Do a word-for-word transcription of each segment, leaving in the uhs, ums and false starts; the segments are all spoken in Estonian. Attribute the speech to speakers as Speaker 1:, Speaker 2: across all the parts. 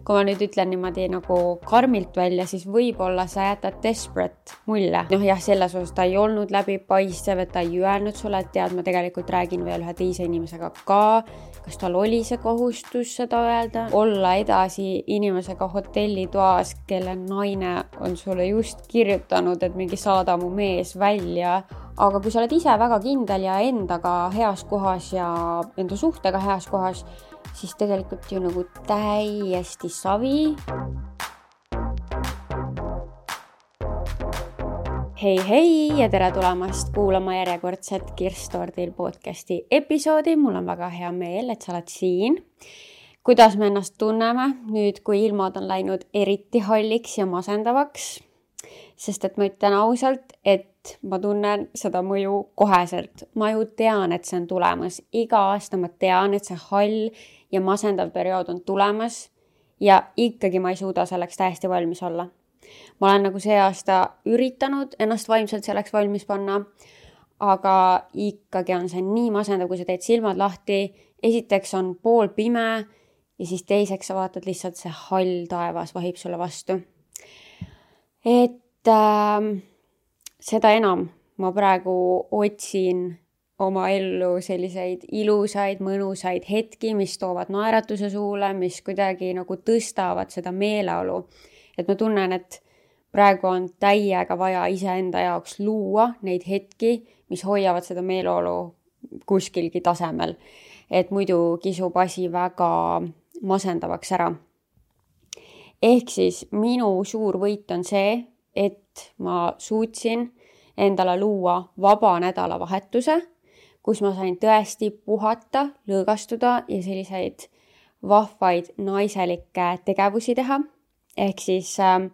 Speaker 1: kui ma nüüd ütlen niimoodi nagu karmilt välja, siis võib-olla sa jätad desperate mulje. Noh jah, selles osas ta ei olnud läbipaistev, et ta ei öelnud sulle, et tead, ma tegelikult räägin veel ühe teise inimesega ka. Kas tal oli see kohustus seda öelda? Olla edasi inimesega hotellitoas, kelle naine on sulle just kirjutanud, et mingi saada mu mees välja. Aga kui sa oled ise väga kindel ja endaga heas kohas ja enda suhtega heas kohas, siis tegelikult ju nagu täiesti savi. Hei, hei ja tere tulemast kuulama järjekordset Kirstordil podcasti episoodi. Mul on väga hea meel, et sa oled siin. Kuidas me ennast tunneme nüüd, kui ilmad on läinud eriti halliks ja masendavaks? Sest et ma ütlen ausalt, et ma tunnen seda mõju koheselt. Ma ju tean, et see on tulemas. Iga aasta ma tean, et see hall ja masendav periood on tulemas ja ikkagi ma ei suuda selleks täiesti valmis olla. Ma olen nagu see aasta üritanud ennast vaimselt selleks valmis panna, aga ikkagi on see nii masendav, kui sa teed silmad lahti. Esiteks on pool pime ja siis teiseks sa vaatad lihtsalt see hall taevas vahib sulle vastu. Et äh, seda enam ma praegu otsin oma ellu selliseid ilusaid, mõnusaid hetki, mis toovad naeratuse suule, mis kuidagi nagu tõstavad seda meeleolu. Et ma tunnen, et praegu on täiega vaja iseenda jaoks luua neid hetki, mis hoiavad seda meeleolu kuskilgi tasemel. Et muidu kisub asi väga masendavaks ära. Ehk siis minu suur võit on see, et ma suutsin endale luua vaba nädalavahetuse, kus ma sain tõesti puhata, lõõgastuda ja selliseid vahvaid naiselikke tegevusi teha. Ehk siis äh,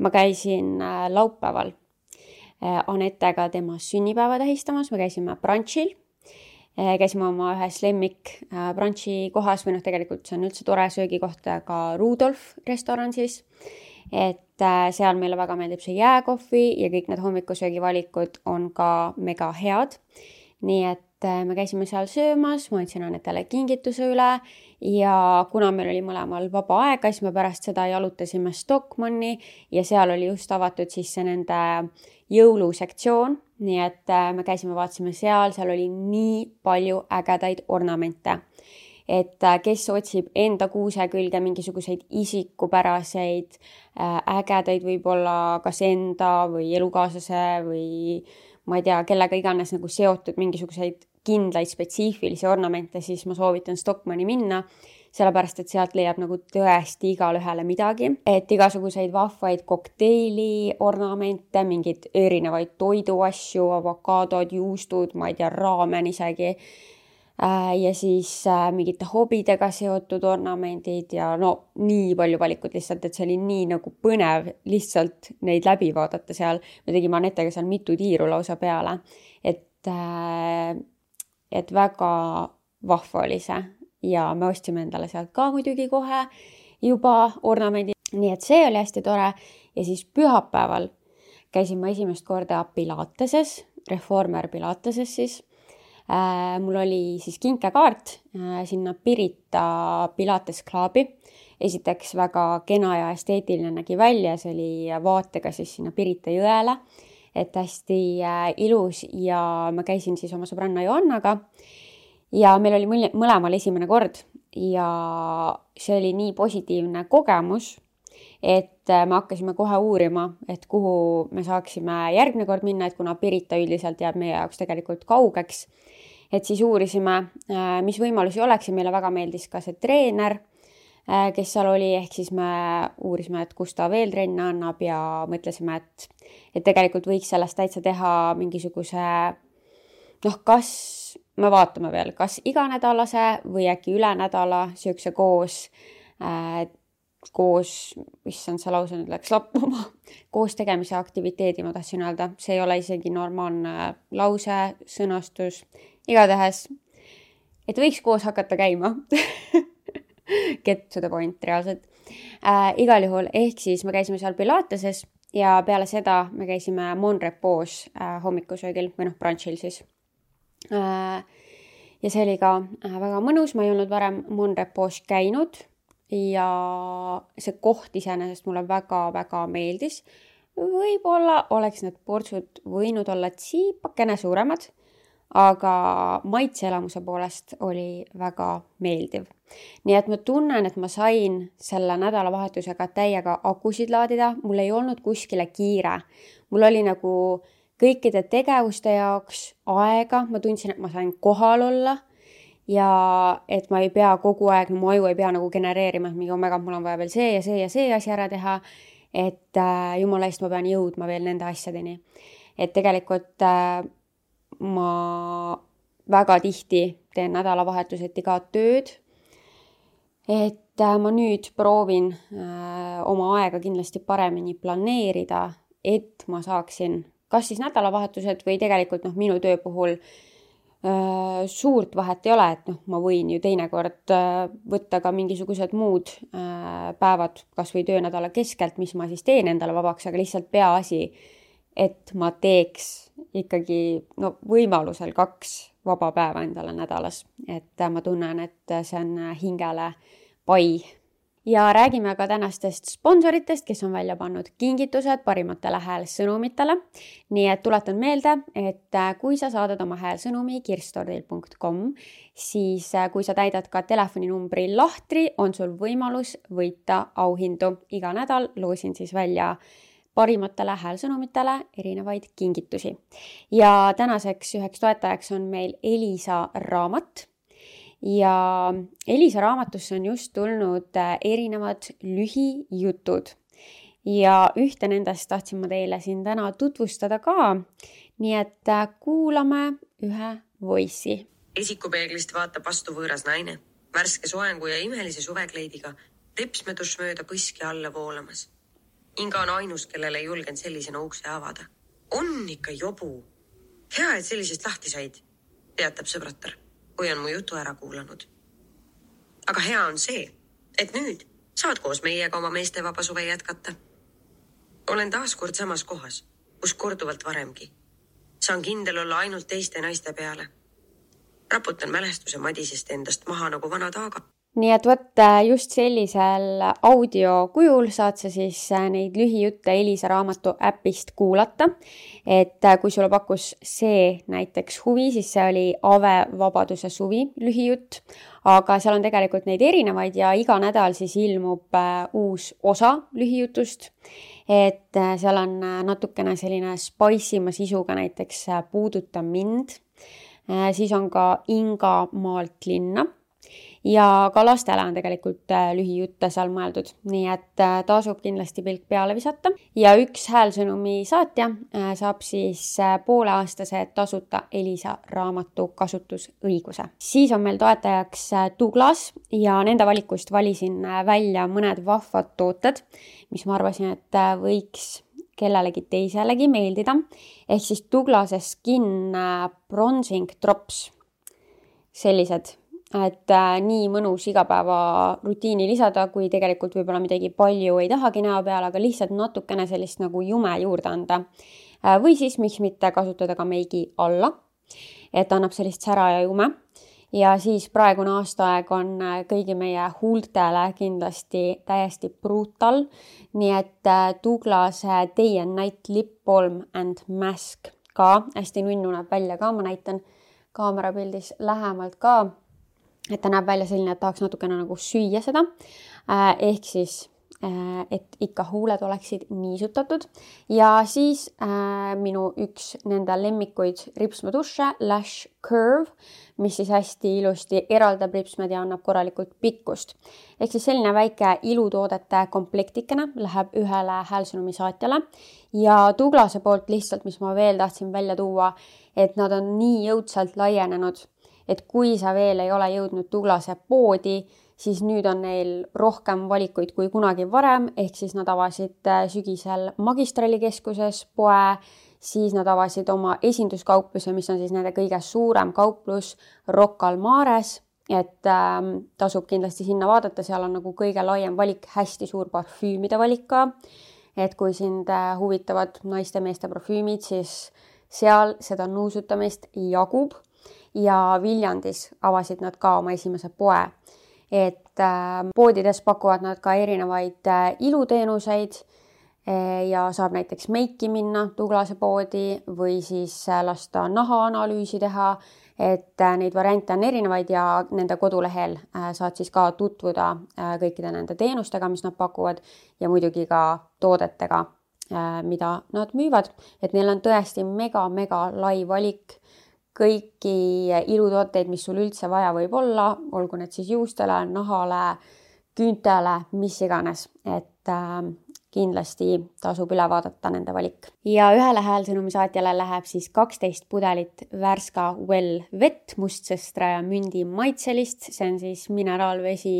Speaker 1: ma käisin äh, laupäeval äh, Anettega tema sünnipäeva tähistamas, me käisime brunchil, äh, käisime oma ühes lemmik äh, brunchi kohas, või noh, tegelikult see on üldse tore söögikoht, ka Rudolf restoran siis, et äh, seal meile väga meeldib see jääkohvi ja kõik need hommikusöögivalikud on ka mega head. Nii et me käisime seal söömas, ma andsin Anetele kingituse üle ja kuna meil oli mõlemal vaba aega, siis me pärast seda jalutasime Stockmanni ja seal oli just avatud siis see nende jõulusektsioon. Nii et me käisime, vaatasime seal, seal oli nii palju ägedaid ornamente. Et kes otsib enda kuuse külge mingisuguseid isikupäraseid, ägedaid võib-olla kas enda või elukaaslase või ma ei tea, kellega iganes nagu seotud mingisuguseid kindlaid spetsiifilisi ornamente, siis ma soovitan Stockmanni minna, sellepärast et sealt leiab nagu tõesti igale ühele midagi. Et igasuguseid vahvaid kokteili ornamente, mingid erinevaid toiduasju, avokaadod, juustud, ma ei tea, raamen isegi. Ja siis mingite hobidega seotud ornamendid ja no nii palju valikut lihtsalt, et see oli nii nagu põnev lihtsalt neid läbi vaadata seal. Me tegime Anetega seal mitu tiiru lausa peale, et, et väga vahva oli see ja me ostsime endale sealt ka muidugi kohe juba ornamendi. Nii et see oli hästi tore ja siis pühapäeval käisime esimest korda Pilateses, Reformer Pilateses siis. Äh, mul oli siis kinkekaart äh, sinna Pirita Pilates Clubi. Esiteks väga kena ja esteetiline nägi välja, see oli vaatega siis sinna Pirita jõele, et hästi äh, ilus ja ma käisin siis oma sõbranna Joannaga ja meil oli mõlemal esimene kord ja see oli nii positiivne kogemus, et me hakkasime kohe uurima, et kuhu me saaksime järgmine kord minna, et kuna Pirita üldiselt jääb meie jaoks tegelikult kaugeks, et siis uurisime, mis võimalusi oleks ja meile väga meeldis ka see treener, kes seal oli, ehk siis me uurisime, et kus ta veel trenne annab ja mõtlesime, et, et tegelikult võiks sellest täitsa teha mingisuguse, noh, kas me vaatame veel, kas iganädalase või äkki üle nädala söökse koos, äh, koos, mis on see lause nüüd läks lappuma, koos tegemise aktiviteedi, ma tahtsin öelda, see ei ole isegi normaalne lause, sõnastus, igatahes, et võiks koos hakata käima. Get to the point reaalselt. Äh, igal juhul, ehk siis me käisime seal Pilateses ja peale seda me käisime Mon Repos äh, hommikusöögil või noh, brunchil siis. Äh, ja see oli ka äh, väga mõnus, ma ei olnud varem Mon Repos käinud. ja see koht iseenesest mulle väga-väga meeldis. Võib-olla oleks need portsud võinud olla tsiipakene suuremad, aga maitseelamuse poolest oli väga meeldiv. Nii et ma tunnen, et ma sain selle nädalavahetusega täiega akusid laadida. Mul ei olnud kuskile kiire. Mul oli nagu kõikide tegevuste jaoks aega. Ma tundsin, et ma sain kohal olla ja et ma ei pea kogu aeg, mu aju ei pea nagu genereerima, et mingi omega mul on vaja veel see ja see ja see asi ära teha, et äh, jumala eest ma pean jõudma veel nende asjadeni. Et tegelikult äh, ma väga tihti teen nädalavahetuseti ka tööd, et äh, ma nüüd proovin äh, oma aega kindlasti paremini planeerida, et ma saaksin kas siis nädalavahetused või tegelikult noh, minu töö puhul suurt vahet ei ole, et noh, ma võin ju teinekord võtta ka mingisugused muud päevad kas või töönädala keskelt, mis ma siis teen endale vabaks, aga lihtsalt peaasi, et ma teeks ikkagi no, võimalusel kaks vaba päeva endale nädalas. Et ma tunnen, et see on hingele pai. Ja räägime ka tänastest sponsoritest, kes on välja pannud kingitused parimatele häälsõnumitele. Nii et tuletan meelde, et kui sa saadad oma häälsõnumi kirstordil punkt com, siis kui sa täidad ka telefoninumbri lahtri, on sul võimalus võita auhindu. Iga nädal loosin siis välja parimatele häälsõnumitele erinevaid kingitusi. Ja tänaseks üheks toetajaks on meil Elisa raamat. Ja Elisa raamatusse on just tulnud erinevad lühijutud ja ühte nendest tahtsin ma teile siin täna tutvustada ka, nii et kuulame ühe voice'i.
Speaker 2: Esikupeeglist vaatab vastu võõras naine, värske soengu ja imelise suvekleidiga, ripsmedus mööda põski alla voolamas. Inga on ainus, kellele ei julgen sellisena ukse avada. On ikka jobu. Hea, et sellisest lahti said, teatab sõbratar, kui on mu jutu ära kuulanud. Aga hea on see, et nüüd saad koos meiega oma meeste vaba suve jätkata. Olen taas kord samas kohas, kus korduvalt varemgi. Saan kindel olla ainult teiste naiste peale. Raputan mälestuse madisest endast maha nagu vana taaga.
Speaker 1: Nii et võt just sellisel audio kujul saad sa siis neid lühijutte Elisa raamatu äpist kuulata. Et kui sulle pakkus see näiteks huvi, siis see oli Ave vabaduse suvi lühijutt. Aga seal on tegelikult neid erinevaid ja iga nädal siis ilmub uus osa lühijutust. Et seal on natukene selline spaisima sisuga näiteks Puuduta mind. Siis on ka Inga maalt linna. Ja ka lastele on tegelikult lühijutte seal mõeldud, nii et tasub kindlasti pilk peale visata. Ja üks häälsõnumi saatja saab siis pooleaastase tasuta Elisa raamatu kasutusõiguse. Siis on meil toetajaks Douglas ja nende valikust valisin välja mõned vahvad tooted, mis ma arvasin, et võiks kellelegi teiselegi meeldida. Ehk siis Douglase Skin Bronzing Drops, sellised. Et äh, nii mõnus igapäeva rutiini lisada, kui tegelikult võib-olla midagi palju ei tahagi näo peale, aga lihtsalt natukene sellist nagu jume juurde anda. Äh, või siis miks mitte kasutada ka meigi alla, et annab sellist sära ja jume. Ja siis praegune aastaaeg on kõigi meie huultele kindlasti täiesti brutal. Nii et äh, Douglase Day and Night Lip Balm and Mask ka hästi nunnu näeb välja ka, ma näitan kaamerapildis lähemalt ka. Et ta näeb välja selline, et tahaks natukene nagu süüa seda, ehk siis, et ikka huuled oleksid niisutatud. Ja siis äh, minu üks nende lemmikuid ripsmeduše, Lash Curve, mis siis hästi ilusti eraldab ripsmed ja annab korralikult pikkust. Ehk siis selline väike ilutoodete komplektikene läheb ühele häälsõnumi saatjale. Ja Douglase poolt lihtsalt, mis ma veel tahtsin välja tuua, et nad on nii jõudsalt laienenud, et kui sa veel ei ole jõudnud Douglase poodi, siis nüüd on neil rohkem valikuid kui kunagi varem, ehk siis nad avasid sügisel Magistrali keskuses poe, siis nad avasid oma esinduskaupluse, mis on siis nende kõige suurem kauplus Rocca al Mares, et äh, tasub kindlasti sinna vaadata, seal on nagu kõige laiem valik, hästi suur parfüümide valik ka, et kui sind huvitavad naiste meeste parfüümid, siis seal seda nuusutamist jagub. Ja Viljandis avasid nad ka oma esimese poe. Et poodides pakuvad nad ka erinevaid iluteenuseid ja saab näiteks meiki minna Douglase poodi või siis lasta nahaanalüüsi teha, et neid variante on erinevaid ja nende kodulehel saad siis ka tutvuda kõikide nende teenustega, mis nad pakuvad ja muidugi ka toodetega, mida nad müüvad, et neil on tõesti mega-mega lai valik kõiki ilutooteid, mis sul üldse vaja võib olla, olgu need siis juustele, nahale, küüntele, mis iganes, et äh, kindlasti tasub üle vaadata nende valik. Ja ühele häälsõnumi saatjale läheb siis kaksteist pudelit Värska Well vett, mustsõstra ja mündi maitselist, see on siis mineraalvesi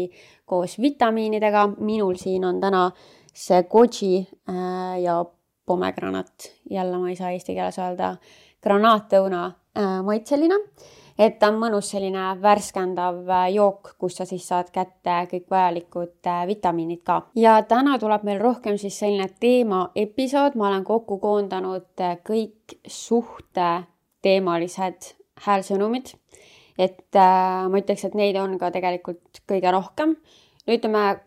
Speaker 1: koos vitamiinidega. Minul siin on täna see goji äh, ja pomegranat, jälle ma ei saa eesti keeles öelda, granaatõuna maitselina, et ta on mõnus selline värskendav jook, kus sa siis saad kätte kõik vajalikud vitamiinid ka. Ja täna tuleb meil rohkem siis selline teema episood, ma olen kokku koondanud kõik suhte teemalised häälsõnumid, et äh, ma ütleks, et neid on ka tegelikult kõige rohkem. No ütleme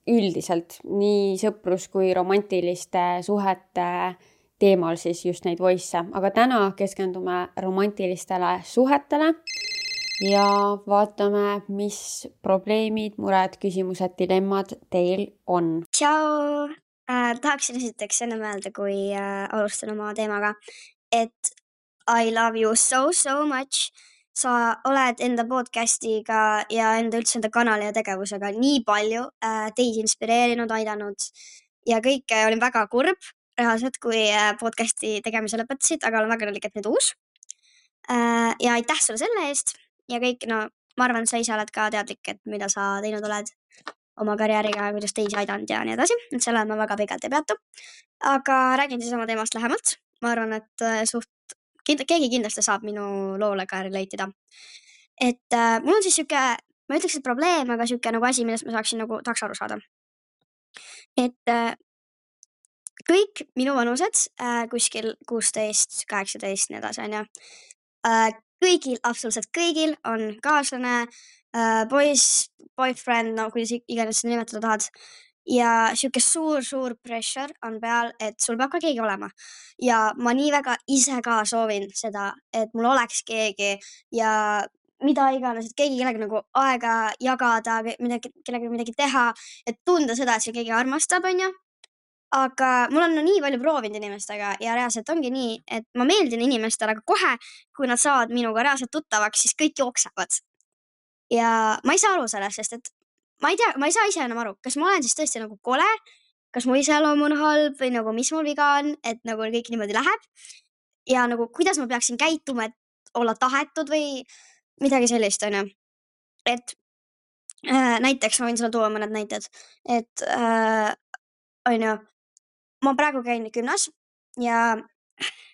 Speaker 1: üldiselt nii sõprus kui romantiliste suhete teemal siis just neid voice, aga täna keskendume romantilistele suhetele ja vaatame, mis probleemid, mured, küsimused, dilemmad teil on.
Speaker 3: Tšau! Äh, tahaksin esiteks enne mõelda, kui äh, alustan oma teemaga, et I love you so, so much. Sa oled enda podcastiga ja enda üldse enda kanali ja tegevusega nii palju äh, teid inspireerinud, aidanud ja kõike olin väga kurb reaalselt, kui podcasti tegemise lõpetasid, aga olen väga õnnelik, et nüüd uus. Ja aitäh sulle selle eest ja kõik, no ma arvan, sa ise oled ka teadlik, et mida sa teinud oled oma karjääriga, kuidas teisi aidanud ja nii edasi, et selle ma väga pikalt ei peatu. Aga räägin siis oma teemast lähemalt. Ma arvan, et suht, keegi kindlasti saab minu loole ka relatida. Et äh, mul on siis siuke, ma ütleks, et probleem, aga siuke nagu asi, millest ma saaksin nagu tahaks aru saada. Et äh, kõik minu vanused, äh, kuskil kuusteist, kaheksateist, nii edasi, on ju. Äh, kõigil, absoluutselt kõigil on kaaslane, äh, poiss, boyfriend, no kuidas iganes seda nimetada tahad. Ja siuke suur, suur pressure on peal, et sul peab ka keegi olema. Ja ma nii väga ise ka soovin seda, et mul oleks keegi ja mida iganes, et keegi kellega nagu aega jagada, midagi, kellega midagi teha, et tunda seda, et see keegi armastab, on ju. Aga mul on no nii palju proovinud inimestega ja reaalselt ongi nii, et ma meeldin inimestele, aga kohe, kui nad saavad minuga reaalselt tuttavaks, siis kõik jooksevad. Ja ma ei saa aru sellest, sest et ma ei tea, ma ei saa ise enam aru, kas ma olen siis tõesti nagu kole, kas mu iseloom on halb või nagu mis mul viga on, et nagu kõik niimoodi läheb. Ja nagu kuidas ma peaksin käituma, et olla tahetud või midagi sellist, on ju. Et äh, näiteks ma võin sulle tuua mõned näited, et äh, on ju, ma praegu käin gümnas ja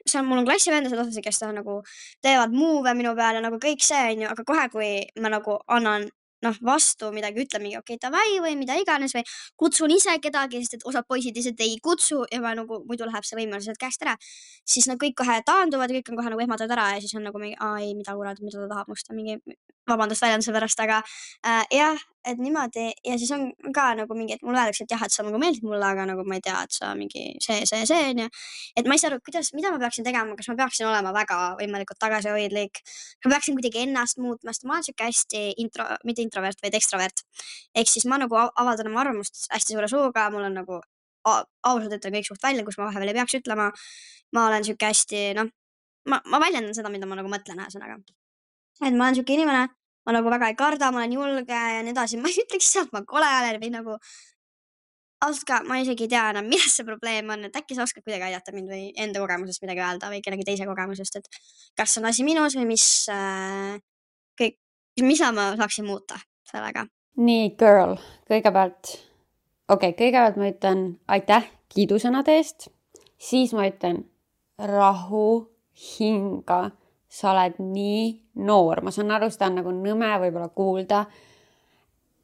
Speaker 3: see on, mul on klassivendased osasi, kes nagu teevad muove minu peale, nagu kõik see on ju, aga kohe, kui ma nagu annan noh, vastu midagi, ütlen mingi okei, davai või mida iganes või kutsun ise kedagi, sest et osad poisid lihtsalt ei kutsu ja ma nagu muidu läheb see võimaluselt käest ära, siis nad kõik kohe taanduvad ja kõik on kohe nagu ehmatavad ära ja siis on nagu mingi, aa ei, mida kurat, mida ta tahab must, mingi vabandust väljenduse pärast, aga äh, jah, et niimoodi ja siis on ka nagu mingi, et mulle öeldakse, et jah, et sa nagu meeldid mulle, aga nagu ma ei tea, et sa mingi see, see, see on ja et ma ei saa aru, kuidas, mida ma peaksin tegema, kas ma peaksin olema väga võimalikult tagasihoidlik, ma peaksin kuidagi ennast muutma, sest ma olen siuke hästi intro, mitte introvert, vaid ekstrovert. Ehk siis ma nagu avaldan oma arvamust hästi suure suuga, mul on nagu ausalt ütlen kõik suht välja, kus ma vahepeal ei peaks ütlema. Ma olen siuke hästi, noh, ma, ma väljendan seda, mida ma nagu mõtlen ühesõnaga. Et ma olen siuke inimene, ma nagu väga ei karda, ma olen julge ja nii edasi. Ma ei ütleks sealt, ma kole olen või nagu ausalt ka, ma isegi ei tea enam, milles see probleem on, et äkki sa oskad kuidagi aidata mind või enda kogemusest midagi öelda või kellegi teise kogemusest, et kas on asi minus või mis äh, kõik, mis ma saaksin muuta sellega.
Speaker 1: Nii, girl, kõigepealt, okei, okay, kõigepealt ma ütlen aitäh kiidusõnade eest, siis ma ütlen rahu, hinga, sa oled nii noor, ma saan aru, seda on nagu nõme võib-olla kuulda,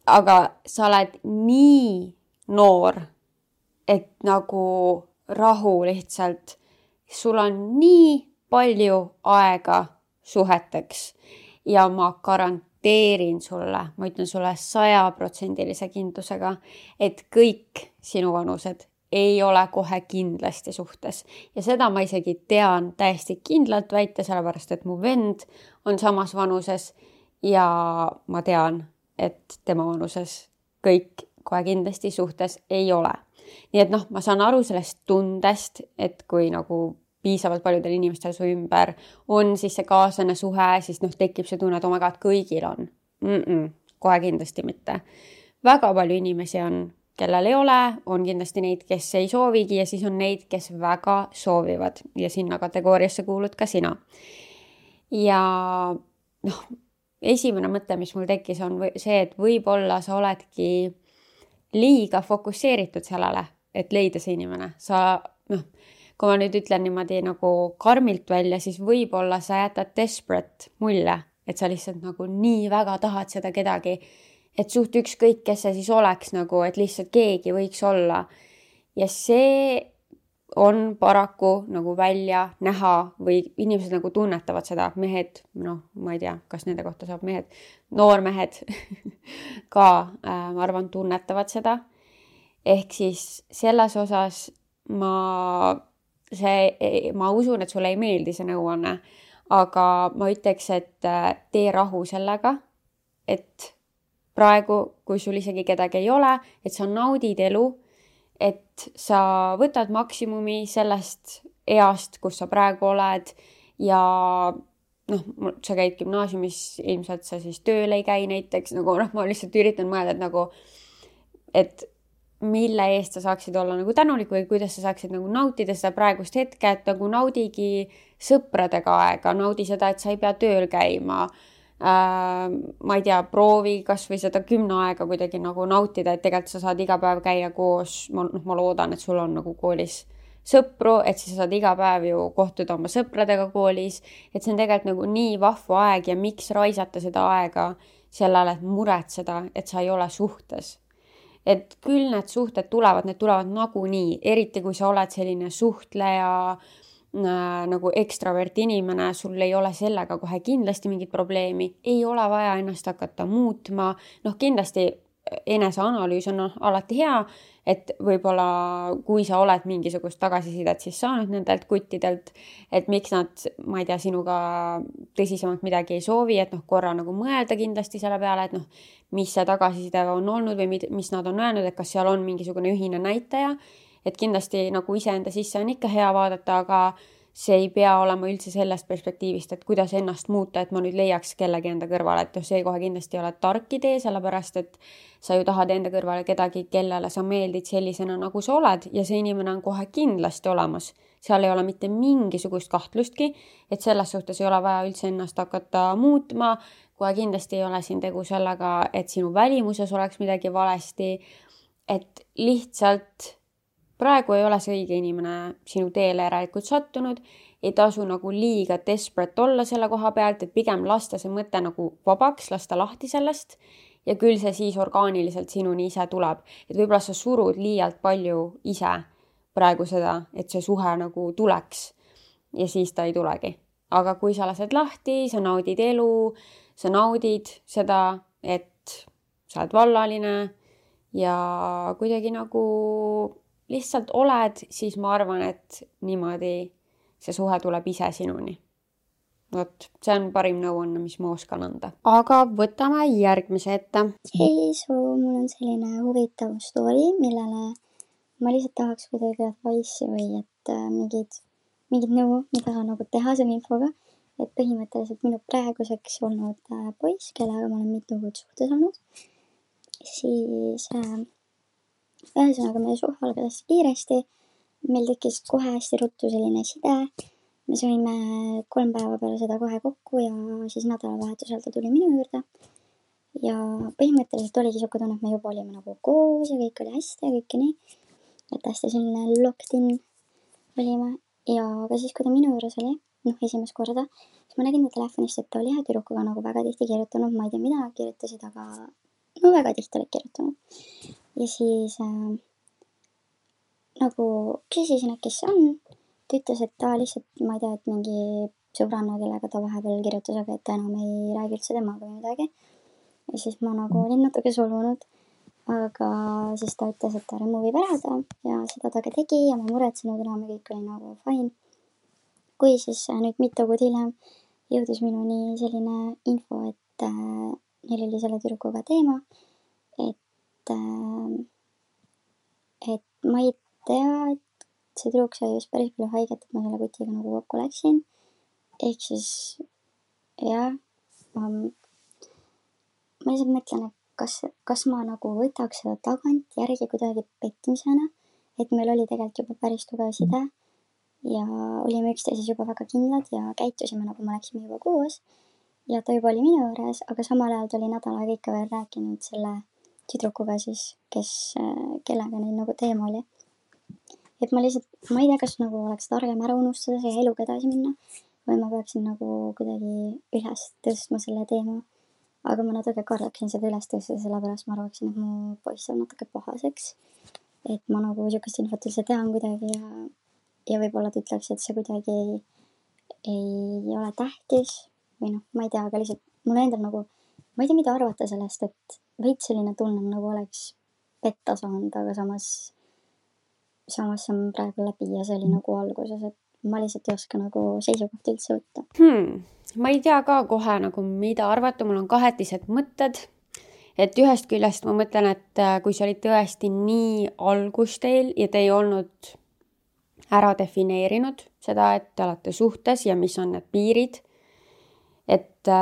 Speaker 1: aga sa oled nii noor, et nagu rahu lihtsalt, sul on nii palju aega suheteks ja ma garanteerin, garanteerin sulle, ma ütlen sulle sajaprotsendilise kindlusega, et kõik sinu vanused ei ole kohe kindlasti suhtes. Ja seda ma isegi tean täiesti kindlalt väita, sellepärast et mu vend on samas vanuses ja ma tean, et tema vanuses kõik kohe kindlasti suhtes ei ole. Nii et noh, ma saan aru sellest tundest, et kui nagu piisavalt paljudel inimestel su ümber on siis see kaaslane suhe, siis noh, tekib see tunne, et oh my god, kõigil on. Mm-mm, kohe kindlasti mitte. Väga palju inimesi on, kellel ei ole, on kindlasti neid, kes ei soovigi ja siis on neid, kes väga soovivad ja sinna kategooriasse kuulud ka sina. Ja noh, esimene mõte, mis mul tekkis, on see, et võib-olla sa oledki liiga fokusseeritud sellele, et leida see inimene. Sa noh, kui ma nüüd ütlen niimoodi nagu karmilt välja, siis võib-olla sa jätad desperate mulje, et sa lihtsalt nagu nii väga tahad seda kedagi, et suht ükskõik, kes see siis oleks nagu, et lihtsalt keegi võiks olla. Ja see on paraku nagu välja näha või inimesed nagu tunnetavad seda, mehed, noh, ma ei tea, kas nende kohta saab mehed, noormehed ka, äh, ma arvan, tunnetavad seda. Ehk siis selles osas ma see, ma usun, et sulle ei meeldi see nõuanne, aga ma ütleks, et tee rahu sellega, et praegu, kui sul isegi kedagi ei ole, et sa naudid elu, et sa võtad maksimumi sellest east, kus sa praegu oled ja noh, sa käid gümnaasiumis, ilmselt sa siis tööl ei käi näiteks, nagu noh, ma lihtsalt üritan mõelda, et nagu, et mille eest sa saaksid olla nagu tänulik või kuidas sa saaksid nagu nautida seda praegust hetke, et nagu naudigi sõpradega aega, naudi seda, et sa ei pea tööl käima. Äh, ma ei tea, proovi kas või seda kümne aega kuidagi nagu nautida, et tegelikult sa saad iga päev käia koos, ma, noh, ma loodan, et sul on nagu koolis sõpru, et siis sa saad iga päev ju kohtuda oma sõpradega koolis, et see on tegelikult nagu nii vahva aeg ja miks raisata seda aega sellele, et muretseda, et sa ei ole suhtes. Et küll need suhted tulevad, need tulevad nagunii, eriti kui sa oled selline suhtleja, äh, nagu ekstravert inimene, sul ei ole sellega kohe kindlasti mingit probleemi, ei ole vaja ennast hakata muutma, noh kindlasti eneseanalüüs on alati hea, et võib-olla kui sa oled mingisugust tagasisidet siis saanud nendelt kuttidelt, et miks nad, ma ei tea, sinuga tõsisemalt midagi ei soovi, et noh, korra nagu mõelda kindlasti selle peale, et noh, mis see tagasiside on olnud või mis nad on öelnud, et kas seal on mingisugune ühine näitaja, et kindlasti nagu iseenda sisse on ikka hea vaadata, aga see ei pea olema üldse sellest perspektiivist, et kuidas ennast muuta, et ma nüüd leiaks kellegi enda kõrvale, et see kohe kindlasti ei ole tark idee, sellepärast et sa ju tahad enda kõrvale kedagi, kellele sa meeldid sellisena, nagu sa oled ja see inimene on kohe kindlasti olemas. Seal ei ole mitte mingisugust kahtlustki, et selles suhtes ei ole vaja üldse ennast hakata muutma, kohe kindlasti ei ole siin tegu sellega, et sinu välimuses oleks midagi valesti, et lihtsalt praegu ei ole see õige inimene sinu teele järelikult sattunud, ei tasu nagu liiga desperate olla selle koha pealt, et pigem lasta see mõte nagu vabaks, lasta lahti sellest ja küll see siis orgaaniliselt sinuni ise tuleb. Et võib-olla sa surud liialt palju ise praegu seda, et see suhe nagu tuleks ja siis ta ei tulegi. Aga kui sa lased lahti, sa naudid elu, sa naudid seda, et sa oled vallaline ja kuidagi nagu lihtsalt oled, siis ma arvan, et niimoodi see suhe tuleb ise sinuni. Vot, see on parim nõuanne, mis ma oskan anda. Aga võtame järgmise ette.
Speaker 3: Hei, so mul on selline huvitav story, millele ma lihtsalt tahaks kuidagi advice'i või et äh, mingid, mingid nõu, mida nagu teha selle infoga. Et põhimõtteliselt minu praeguseks olnud äh, poiss, kellega ma olen mitu kuud suhtes olnud, siis äh, ühesõnaga meie suhe algas hästi kiiresti, meil tekkis kohe hästi ruttu selline side, me saime kolm päeva peale seda kohe kokku ja siis nädalavahetusel ta tuli minu juurde ja põhimõtteliselt oligi siuke tunne, et me juba olime nagu koos ja kõik oli hästi ja kõik nii, et hästi selline locked in olime ja ka siis, kui ta minu juures oli, noh esimest korda, siis ma nägin ta telefonist, et ta oli ühe tüdrukuga nagu väga tihti kirjutanud, ma ei tea, mida nad kirjutasid, aga no väga tihti olid kirjutanud. Ja siis äh, nagu küsisin, et kes see on. Ta ütles, et ta lihtsalt, ma ei tea, et mingi sõbranna, kellega ta vahepeal kirjutas, aga et ta enam ei räägi üldse temaga või midagi.
Speaker 4: ja siis ma nagu olin natuke solvunud, aga siis ta ütles, et ta remove ib ära ta ja seda ta ka tegi ja ma muretsenud enam ja kõik oli nagu fine. Kui siis nüüd mitu kuud hiljem jõudis minuni selline info, et äh, neil oli selle tüdrukuga teema, et, äh, et ma ei tea, et see tüdruk sai just päris palju haiget, et ma selle kutiga nagu kokku läksin. Ehk siis, jah, ma, ma lihtsalt mõtlen, et kas, kas ma nagu võtaks seda tagant järgi kuidagi pettimisena, et meil oli tegelikult juba päris tugev side ja olime üksteises juba väga kindlad ja käitusime, nagu me läksime juba koos ja ta juba oli minu juures, aga samal ajal ta oli nädal aega ikka veel rääkinud selle tüdrukuga siis, kes, kellega neil nagu teema oli. Et ma lihtsalt, ma ei tea, kas nagu oleks targem ära unustada see eluga edasi minna või ma peaksin nagu kuidagi üles tõstma selle teema. Aga ma natuke kardaksin seda üles tõsta, sellepärast ma arvaksin, et mu poiss on natuke pahaseks. Et ma nagu sihukest infot üldse tean kuidagi ja, ja võib-olla ta ütleks, et see kuidagi ei, ei ole tähtis või noh, ma ei tea, aga lihtsalt mul endal nagu, ma ei tea, mida arvata sellest, et veits selline tunne nagu oleks petta saanud, aga samas samas see on praegu läbi ja see oli nagu alguses, et ma lihtsalt ei oska nagu seisukohti üldse võtta.
Speaker 1: Hmm. Ma ei tea ka kohe nagu mida arvata, mul on kahetised mõtted, et ühest küljest ma mõtlen, et kui see oli tõesti nii algus teil ja te ei olnud ära defineerinud seda, et te olete suhtes ja mis on need piirid, et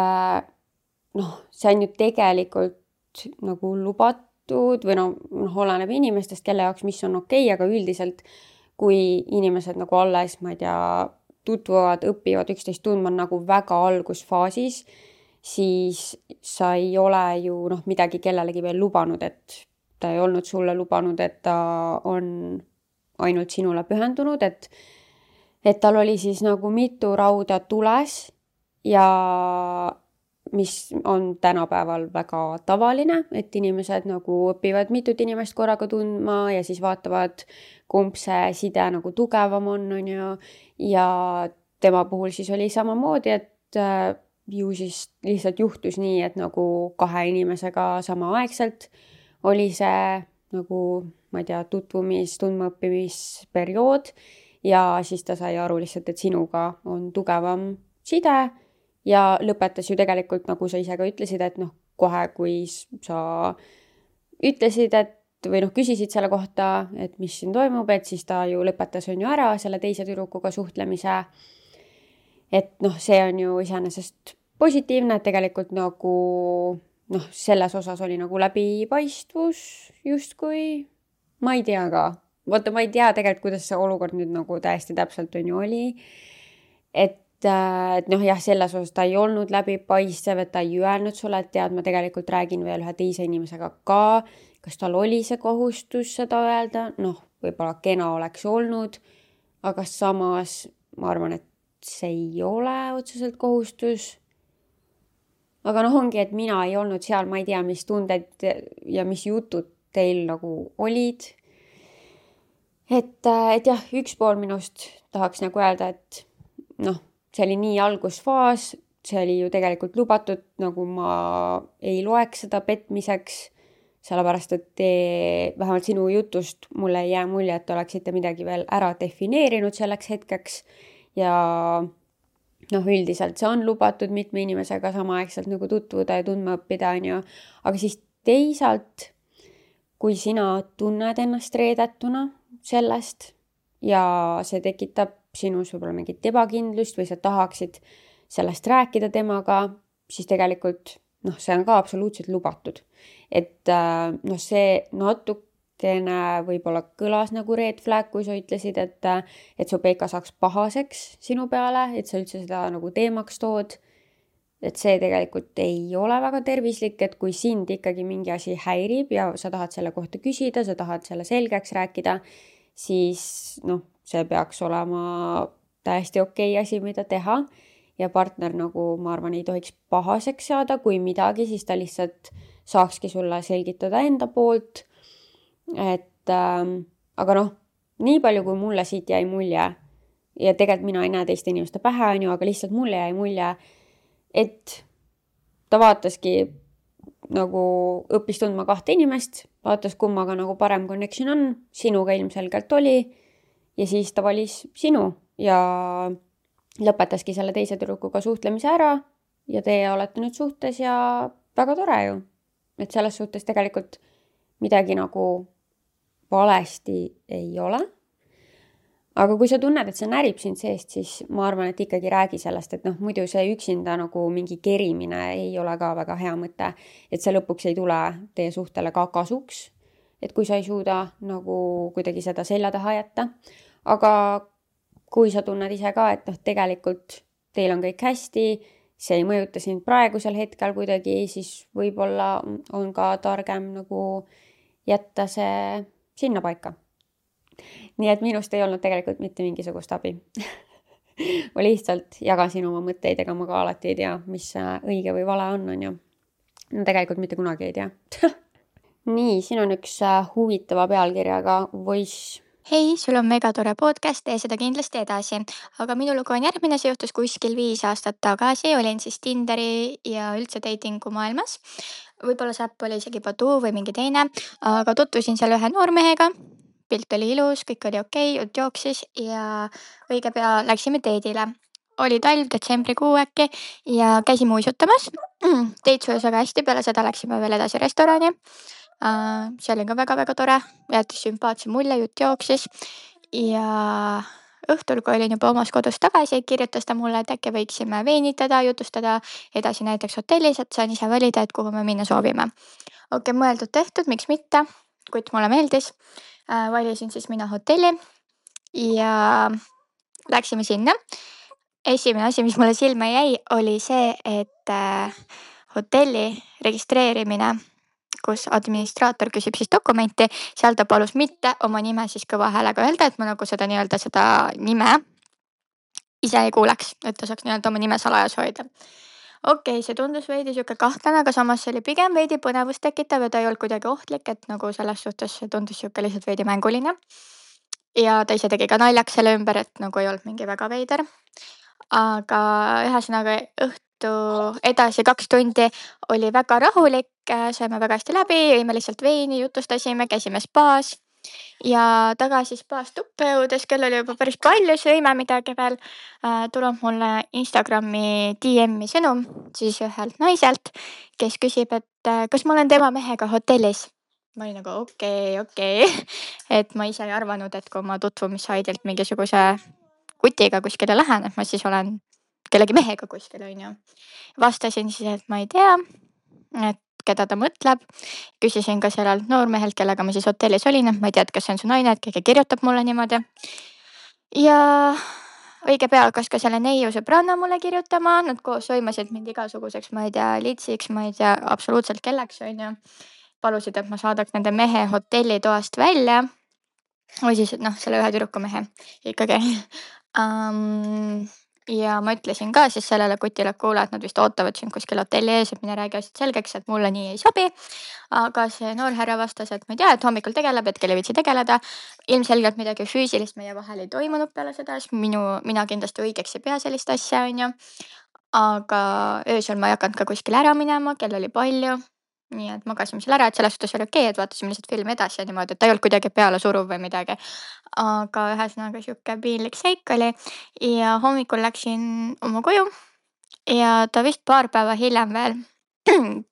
Speaker 1: noh, see on ju tegelikult nagu lubatud või noh, noh, oleneb inimestest, kelle jaoks mis on okei, aga üldiselt kui inimesed nagu alles, ma ei tea, tutvuvad, õpivad üksteist tundma nagu väga algusfaasis, siis sa ei ole ju noh, midagi kellelegi veel lubanud, et ta ei olnud sulle lubanud, et ta on ainult sinule pühendunud, et, et tal oli siis nagu mitu rauda tules ja mis on tänapäeval väga tavaline, et inimesed nagu õpivad mitut inimest korraga tundma ja siis vaatavad, kumb see side nagu tugevam on, on ju, ja tema puhul siis oli samamoodi, et äh, ju siis lihtsalt juhtus nii, et nagu kahe inimesega samaaegselt oli see nagu, ma ei tea, tutvumis, tundmaõppimisperiood ja siis ta sai aru lihtsalt, et sinuga on tugevam side ja lõpetas ju tegelikult, nagu sa ise ka ütlesid, et noh, kohe kui sa ütlesid, et või noh, küsisid selle kohta, et mis siin toimub, et siis ta ju lõpetas on ju ära selle teise tüdrukuga suhtlemise. Et noh, see on ju iseenesest positiivne, et tegelikult nagu noh, selles osas oli nagu läbipaistvus justkui, ma ei tea ka. Vaata, ma ei tea tegelikult, kuidas see olukord nüüd nagu täiesti täpselt on ju oli. Et et noh, jah, selles osas ta ei olnud läbipaistev, et ta ei öelnud sulle, et tead, ma tegelikult räägin veel ühe teise inimesega ka, kas tal oli see kohustus seda öelda, noh, võib-olla kena oleks olnud, aga samas ma arvan, et see ei ole otseselt kohustus. Aga noh, ongi, et mina ei olnud seal, ma ei tea, mis tunded ja mis jutud teil nagu olid. Et, et jah, üks pool minust tahaks nagu öelda, et noh, see oli nii algusfaas, see oli ju tegelikult lubatud, nagu ma ei loeks seda petmiseks, sellepärast, et te, vähemalt sinu jutust mulle ei jää mulje, et oleksite midagi veel ära defineerinud selleks hetkeks ja noh, üldiselt see on lubatud mitme inimesega samaaegselt nagu tutvuda ja tundma õppida, on ju. Aga siis teisalt, kui sina tunned ennast reedetuna sellest ja see tekitab sinus võib-olla mingit ebakindlust või sa tahaksid sellest rääkida temaga, siis tegelikult noh, see on ka absoluutselt lubatud. Et noh, see natukene võib-olla kõlas nagu red flag, kui sa ütlesid, et, et su Peika saaks pahaseks sinu peale, et sa üldse seda nagu teemaks tood. Et see tegelikult ei ole väga tervislik, et kui sind ikkagi mingi asi häirib ja sa tahad selle kohta küsida, sa tahad selle selgeks rääkida, siis noh, see peaks olema täiesti okei asi, mida teha ja partner nagu, ma arvan, ei tohiks pahaseks saada, kui midagi, siis ta lihtsalt saakski sulle selgitada enda poolt. Et ähm, aga noh, nii palju kui mulle siit jäi mulje ja tegelikult mina ei näe teiste inimeste pähe, on ju, aga lihtsalt mulle jäi mulje, et ta vaataski nagu õppis tundma kahte inimest, vaatas kummaga nagu parem connection on, sinuga ilmselgelt oli ja siis ta valis sinu ja lõpetaski selle teise tüdrukuga suhtlemise ära ja teie olete nüüd suhtes ja väga tore ju. Et selles suhtes tegelikult midagi nagu valesti ei ole. Aga kui sa tunned, et see närib sind seest, siis ma arvan, et ikkagi räägi sellest, et noh, muidu see üksinda nagu mingi kerimine ei ole ka väga hea mõte, et see lõpuks ei tule teie suhtele ka kasuks, et kui sa ei suuda nagu kuidagi seda selja taha jätta. Aga kui sa tunned ise ka, et noh, tegelikult teil on kõik hästi, see ei mõjuta sind praegusel hetkel kuidagi, siis võib-olla on ka targem nagu jätta see sinna paika. Nii et minust ei olnud tegelikult mitte mingisugust abi. Ma lihtsalt jagasin oma mõtteid, ega ma ka alati ei tea, mis õige või vale on, on ju. No tegelikult mitte kunagi ei tea. Nii, siin on üks huvitava pealkirjaga Voice.
Speaker 5: Hei, sul on mega tore podcast, tee seda kindlasti edasi. Aga minu lugu on järgmine, see juhtus kuskil viis aastat tagasi. Olin siis Tinderi ja üldse datingu maailmas. Võib-olla see äpp oli isegi Badoo või mingi teine, aga tutvusin seal ühe noormehega. Pilt oli ilus, kõik oli okei, jutt jooksis ja õige pea läksime teedile. Oli talv, detsembrikuu äkki ja käisime uisutamas. Teid sujus väga hästi, peale seda läksime veel edasi restorani. See oli ka väga-väga tore, jäetis sümpaatse mulje, jutt jooksis ja õhtul, kui olin juba omas kodus tagasi, kirjutas ta mulle, et äkki võiksime veenitada, jutustada edasi näiteks hotellis, et saan ise valida, et kuhu me minna soovime. Okei, mõeldud tehtud, miks mitte, kuid mulle meeldis. Valisin siis mina hotelli ja läksime sinna. Esimene asi, mis mulle silma jäi, oli see, et hotelli registreerimine, kus administraator küsib siis dokumenti, seal ta palus mitte oma nime siis kõva häälega öelda, et ma nagu seda nii-öelda seda nime ise ei kuuleks, et ta saaks nii-öelda oma nime salajas hoida. Okei, see tundus veidi siuke kahtlane, aga samas see oli pigem veidi põnevust tekitav ja ta ei olnud kuidagi ohtlik, et nagu selles suhtes see tundus siuke lihtsalt veidi mänguline. Ja ta ise tegi ka naljaks selle ümber, et nagu ei olnud mingi väga veider. Aga ühesõnaga õhtu edasi kaks tundi oli väga rahulik, saime väga hästi läbi, jõime lihtsalt veini, jutustasime, käisime spaas. Ja tagasi spaas tuppe jõudes, kell oli juba päris palju, sõime midagi veel, tuleb mulle Instagrami D M-i sõnum siis ühelt naiselt, kes küsib, et kas ma olen tema mehega hotellis. Ma olin nagu okei, okei, et ma ise ei arvanud, et kui ma tutvumisaidilt mingisuguse kutiga kuskile lähen, et ma siis olen kellegi mehega kuskil, on ju. Vastasin siis, et ma ei tea, et keda ta mõtleb. Küsisin ka sellelt noormehelt, kellega ma siis hotellis olin, et ma ei tea, kas see on su naine, et keegi kirjutab mulle niimoodi. Ja õige pea hakkas ka selle neiu sõbranna mulle kirjutama, nad koos soimasid mind igasuguseks, ma ei tea, litsiks, ma ei tea, absoluutselt kelleks, on ju. Palusid, et ma saadaks nende mehe hotellitoast välja. Või siis, noh, selle ühe tüdruku mehe ikkagi. Um, ja ma ütlesin ka siis sellele kutile, et kuule, et nad vist ootavad siin kuskil hotelli ees, et mine räägi asjad selgeks, et mulle nii ei sobi. Aga see noor härra vastas, et ma ei tea, et hommikul tegeleb, et kelle viitsi tegeleda. Ilmselgelt midagi füüsilist meie vahel ei toimunud peale seda, siis minu, mina kindlasti õigeks ei pea sellist asja, on ju. Aga öösel ma ei hakanud ka kuskil ära minema, kell oli palju. Nii et magasime seal ära, et selles suhtes oli okei, et vaatasime lihtsalt filmi edasi ja niimoodi, et ta ei olnud kuidagi peale suruv või midagi. Aga ühesõnaga siuke piinlik seik oli ja hommikul läksin oma koju ja ta vist paar päeva hiljem veel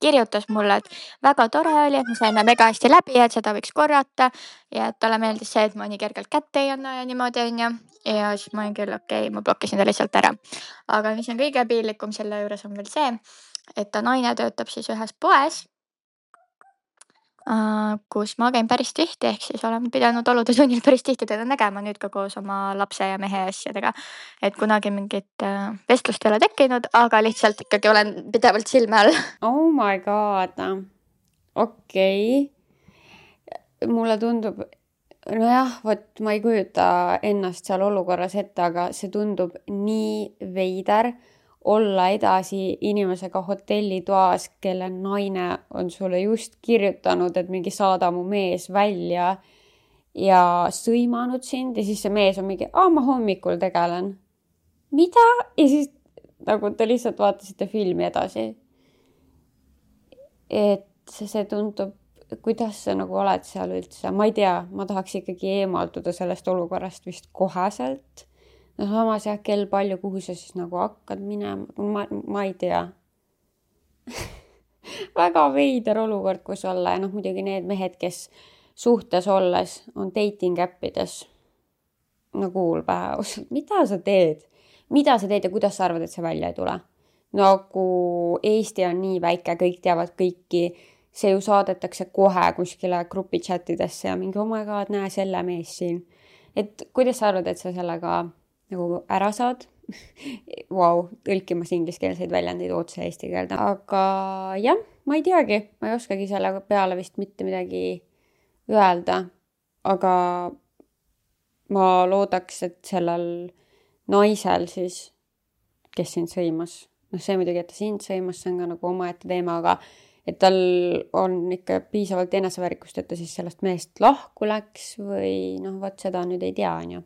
Speaker 5: kirjutas mulle, et väga tore oli, et me saime mega hästi läbi, et seda võiks korrata ja et talle meeldis see, et ma nii kergelt kätte ei anna ja niimoodi, on ju. Ja siis ma olin küll okei, ma blokkisin ta lihtsalt ära. Aga mis on kõige piinlikum selle juures on veel see, et ta naine töötab siis ühes poes, kus ma käin päris tihti, ehk siis olen pidanud olude sunnil päris tihti teda nägema nüüd ka koos oma lapse ja mehe asjadega. Et kunagi mingit vestlust ei ole tekkinud, aga lihtsalt ikkagi olen pidevalt silme all.
Speaker 1: Oh my god. Okei. Mulle tundub, nojah, võt ma ei kujuta ennast seal olukorras ette, aga see tundub nii veider olla edasi inimesega hotellitoas, kelle naine on sulle just kirjutanud, et mingi saada mu mees välja ja sõimanud sind ja siis see mees on mingi, aa, ma hommikul tegelen. Mida? Ja siis nagu te lihtsalt vaatasite filmi edasi. et see, see tundub, kuidas sa nagu oled seal üldse, ma ei tea, ma tahaks ikkagi eemalduda sellest olukorrast vist koheselt. No samas jah, kell palju, kuhu sa siis nagu hakkad minema, ma, ma ei tea. Väga veider olukord, kus olla ja noh, muidugi need mehed, kes suhtes olles on dating äppides. No kuul pähe, mida sa teed? Mida sa teed ja kuidas sa arvad, et see välja ei tule? Nagu Eesti on nii väike, kõik teavad kõiki, see ju saadetakse kohe kuskile grupi chatidesse ja mingi, oh my god, näe selle mees siin. Et kuidas sa arvad, et sa sellega nagu ära saad? Wow, tõlkimas ingliskeelseid väljendeid otse eesti keelde. Aga jah, ma ei teagi, ma ei oskagi selle peale vist mitte midagi öelda. Aga ma loodaks, et sellel naisel siis, kes sind sõimas, noh see muidugi, et ta sind sõimas, see on ka nagu omaette teema, aga et tal on ikka piisavalt eneseväärikust, et ta siis sellest mehest lahku läks või noh, võt seda nüüd ei tea, on ju.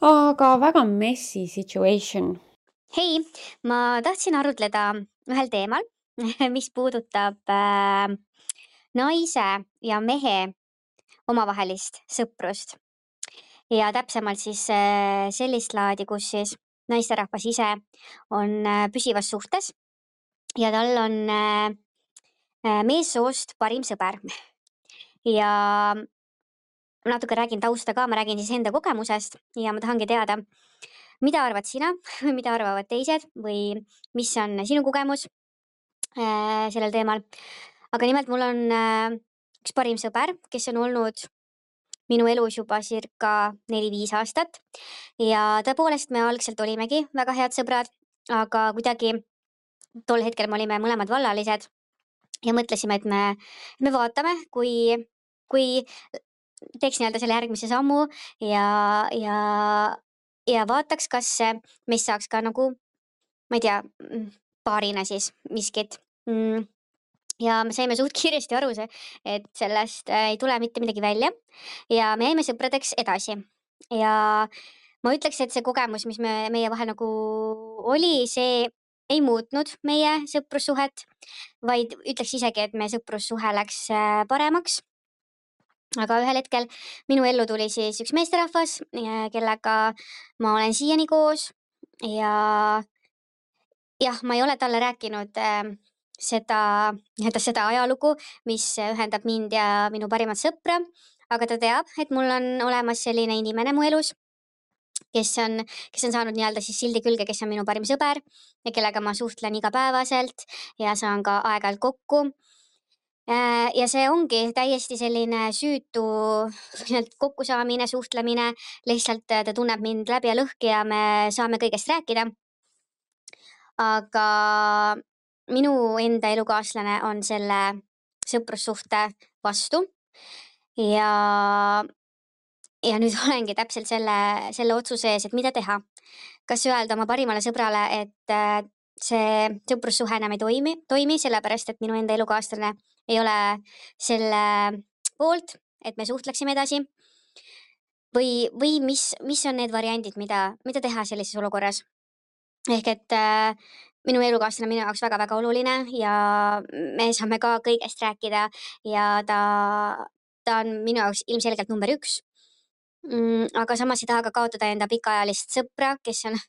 Speaker 1: Aga väga messy situation.
Speaker 6: Hei, ma tahtsin arutleda ühel teemal, mis puudutab äh, naise ja mehe omavahelist sõprust. Ja täpsemalt siis äh, sellist laadi, kus siis naisterahvas ise on äh, püsivas suhtes ja tal on äh, meessoost parim sõber. Ja natuke räägin tausta ka, ma räägin siis enda kogemusest ja ma tahangi teada, mida arvad sina või mida arvavad teised või mis on sinu kogemus äh, sellel teemal. Aga nimelt mul on äh, üks parim sõber, kes on olnud minu elus juba circa neli viis aastat ja tõepoolest me algselt olimegi väga head sõbrad, aga kuidagi tol hetkel me olime mõlemad vallalised ja mõtlesime, et me, me vaatame, kui, kui teeks nii-öelda selle järgmise sammu ja, ja, ja vaataks, kas meist saaks ka nagu, ma ei tea, paarina siis miskit. Ja me saime suht kiiresti aru see, et sellest ei tule mitte midagi välja ja me jäime sõpradeks edasi. Ja ma ütleks, et see kogemus, mis me, meie vahel nagu oli, see ei muutnud meie sõprussuhet, vaid ütleks isegi, et meie sõprussuhe läks paremaks. Aga ühel hetkel minu ellu tuli siis üks meesterahvas, kellega ma olen siiani koos ja jah, ma ei ole talle rääkinud seda, seda ajalugu, mis ühendab mind ja minu parimat sõpra, aga ta teab, et mul on olemas selline inimene mu elus, kes on, kes on saanud nii-öelda siis sildi külge, kes on minu parim sõber ja kellega ma suhtlen igapäevaselt ja saan ka aeg-ajalt kokku. Ja see ongi täiesti selline süütu kokkusaamine, suhtlemine, lihtsalt ta tunneb mind läbi ja lõhki ja me saame kõigest rääkida. Aga minu enda elukaaslane on selle sõprussuhte vastu ja, ja nüüd olengi täpselt selle, selle otsuse ees, et mida teha. Kas öelda oma parimale sõbrale, et see sõprussuhe enam ei toimi, toimi, sellepärast, et minu enda elukaaslane ei ole selle poolt, et me suhtleksime edasi või, või mis, mis on need variandid, mida, mida teha sellises olukorras. Ehk et äh, minu elukaaslane minu jaoks väga-väga oluline ja me saame ka kõigest rääkida ja ta, ta on minu jaoks ilmselgelt number üks. Mm, aga samas ei taha ka kaotada enda pikaajalist sõpra, kes on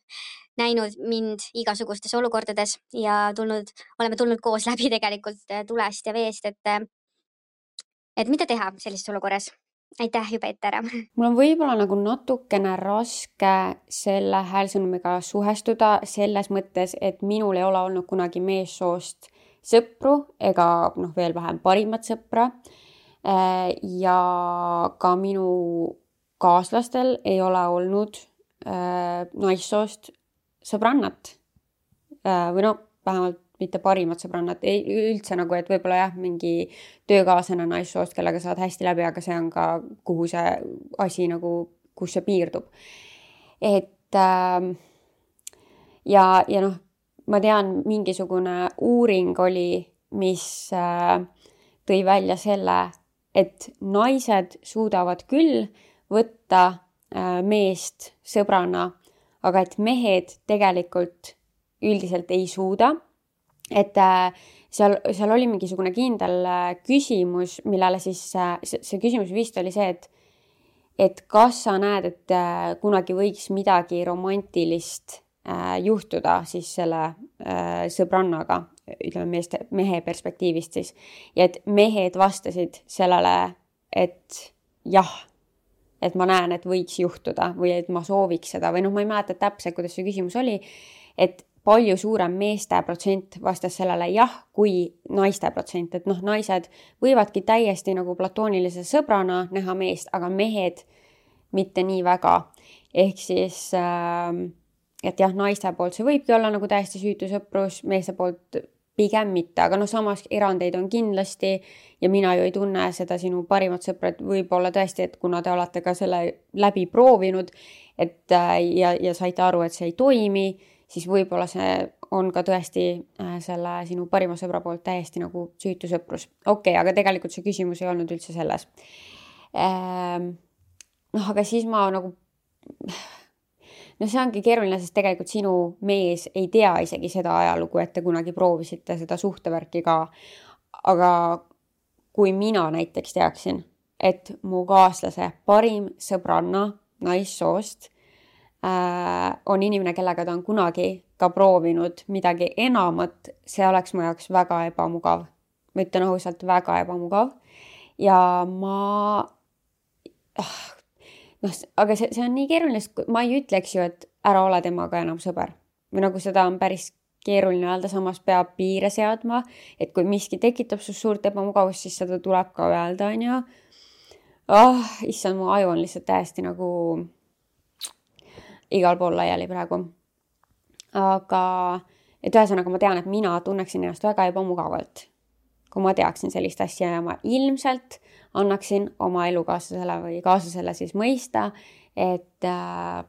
Speaker 6: näinud mind igasugustes olukordades ja tulnud, oleme tulnud koos läbi tegelikult tulest ja veest, et, et mida teha sellises olukorras. Aitäh juba ette ära.
Speaker 1: Mul on võib-olla nagu natukene raske selle häälsõnumiga suhestuda selles mõttes, et minul ei ole olnud kunagi meessoost sõpru ega noh, veel vähem parimat sõpra ja ka minu kaaslastel ei ole olnud äh, naissoost sõbrannat äh, või no vähemalt mitte parimat sõbrannat, ei üldse nagu, et võib-olla jah, mingi töökaaslane naissoost, kellega saad hästi läbi, aga see on ka, kuhu see asi nagu, kus see piirdub. Et äh, ja, ja noh, ma tean, mingisugune uuring oli, mis äh, tõi välja selle, et naised suudavad küll võtta äh, meest sõbrana, aga et mehed tegelikult üldiselt ei suuda. et äh, seal, seal oli mingisugune kindel äh, küsimus, millele siis äh, see, see küsimus vist oli see, et et kas sa näed, et äh, kunagi võiks midagi romantilist äh, juhtuda siis selle äh, sõbrannaga, ütleme meeste, mehe perspektiivist siis. Ja et mehed vastasid sellele, et jah, et ma näen, et võiks juhtuda või et ma sooviks seda või noh, ma ei mäleta täpselt, kuidas see küsimus oli, et palju suurem meeste protsent vastas sellele jah, kui naiste protsent, et noh, naised võivadki täiesti nagu platoonilise sõbrana näha meest, aga mehed mitte nii väga. Ehk siis, et jah, naiste poolt see võibki olla nagu täiesti süütu sõprus, meeste poolt pigem mitte, aga noh, samas erandeid on kindlasti ja mina ju ei tunne seda sinu parimat sõpra, et võib-olla tõesti, et kuna te olete ka selle läbi proovinud et, ja, ja saite aru, et see ei toimi, siis võib-olla see on ka tõesti selle sinu parima sõbra poolt täiesti nagu süütu sõprus. Okei, okay, aga tegelikult see küsimus ei olnud üldse selles. Noh, aga siis ma nagu, no see ongi keeruline, sest tegelikult sinu mees ei tea isegi seda ajalugu, et te kunagi proovisite seda suhtevärki ka. Aga kui mina näiteks teaksin, et mu kaaslase parim sõbranna naissoost on inimene, kellega ta on kunagi ka proovinud midagi enamat, see oleks mu jaoks väga ebamugav. Ma ütlen ausalt, väga ebamugav. Ja ma, noh, aga see, see on nii keeruline, sest ma ei ütleks ju, et ära ole temaga enam sõber. Või nagu seda on päris keeruline öelda, samas peab piire seadma, et kui miski tekitab su suurt ebamugavust, siis seda tuleb ka öelda, on ju. Oh, issand, mu aju on lihtsalt täiesti nagu igal pool laiali praegu. Aga, et ühesõnaga ma tean, et mina tunneksin ennast väga ebamugavalt, kui ma teaksin sellist asja ja ma ilmselt annaksin oma elukaaslasele või kaaslasele siis mõista, et äh,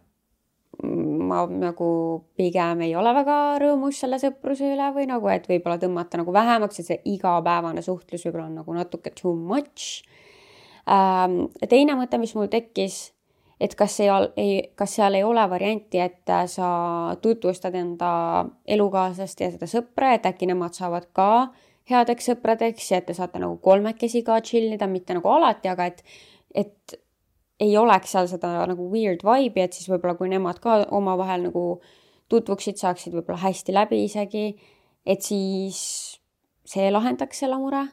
Speaker 1: ma nagu pigem ei ole väga rõõmus selle sõpruse üle või nagu, et võib-olla tõmmata nagu vähemaks, et see igapäevane suhtlus võib-olla on nagu natuke too much. Ähm, teine mõte, mis mul tekkis, et kas, ei, kas seal ei ole varianti, et sa tutvustad enda elukaaslast ja seda sõpra, et äkki nemad saavad ka headeks sõpradeks ja et te saate nagu kolmekesi ka chillida, mitte nagu alati, aga et, et ei oleks seal seda nagu weird vibe'i, et siis võib-olla kui nemad ka omavahel nagu tutvuksid, saaksid võib-olla hästi läbi isegi, et siis see lahendaks selle mure.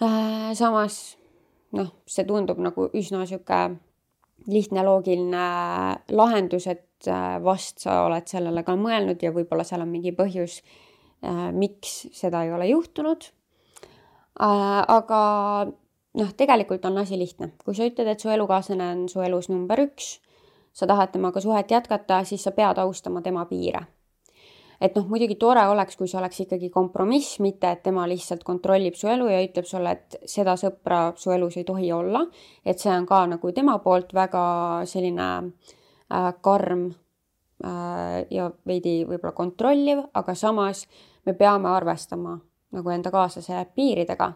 Speaker 1: Äh, samas noh, see tundub nagu üsna siuke lihtne loogiline lahendus, et vast sa oled sellele ka mõelnud ja võib-olla seal on mingi põhjus, miks seda ei ole juhtunud. Aga noh, tegelikult on asi lihtne. Kui sa ütled, et su elukaaslane on su elus number üks, sa tahad temaga suhet jätkata, siis sa pead austama tema piire. Et noh, muidugi tore oleks, kui see oleks ikkagi kompromiss, mitte et tema lihtsalt kontrollib su elu ja ütleb sulle, et seda sõpra su elus ei tohi olla. Et see on ka nagu tema poolt väga selline äh, karm äh, ja veidi võib-olla kontrolliv, aga samas me peame arvestama nagu enda kaaslase piiridega.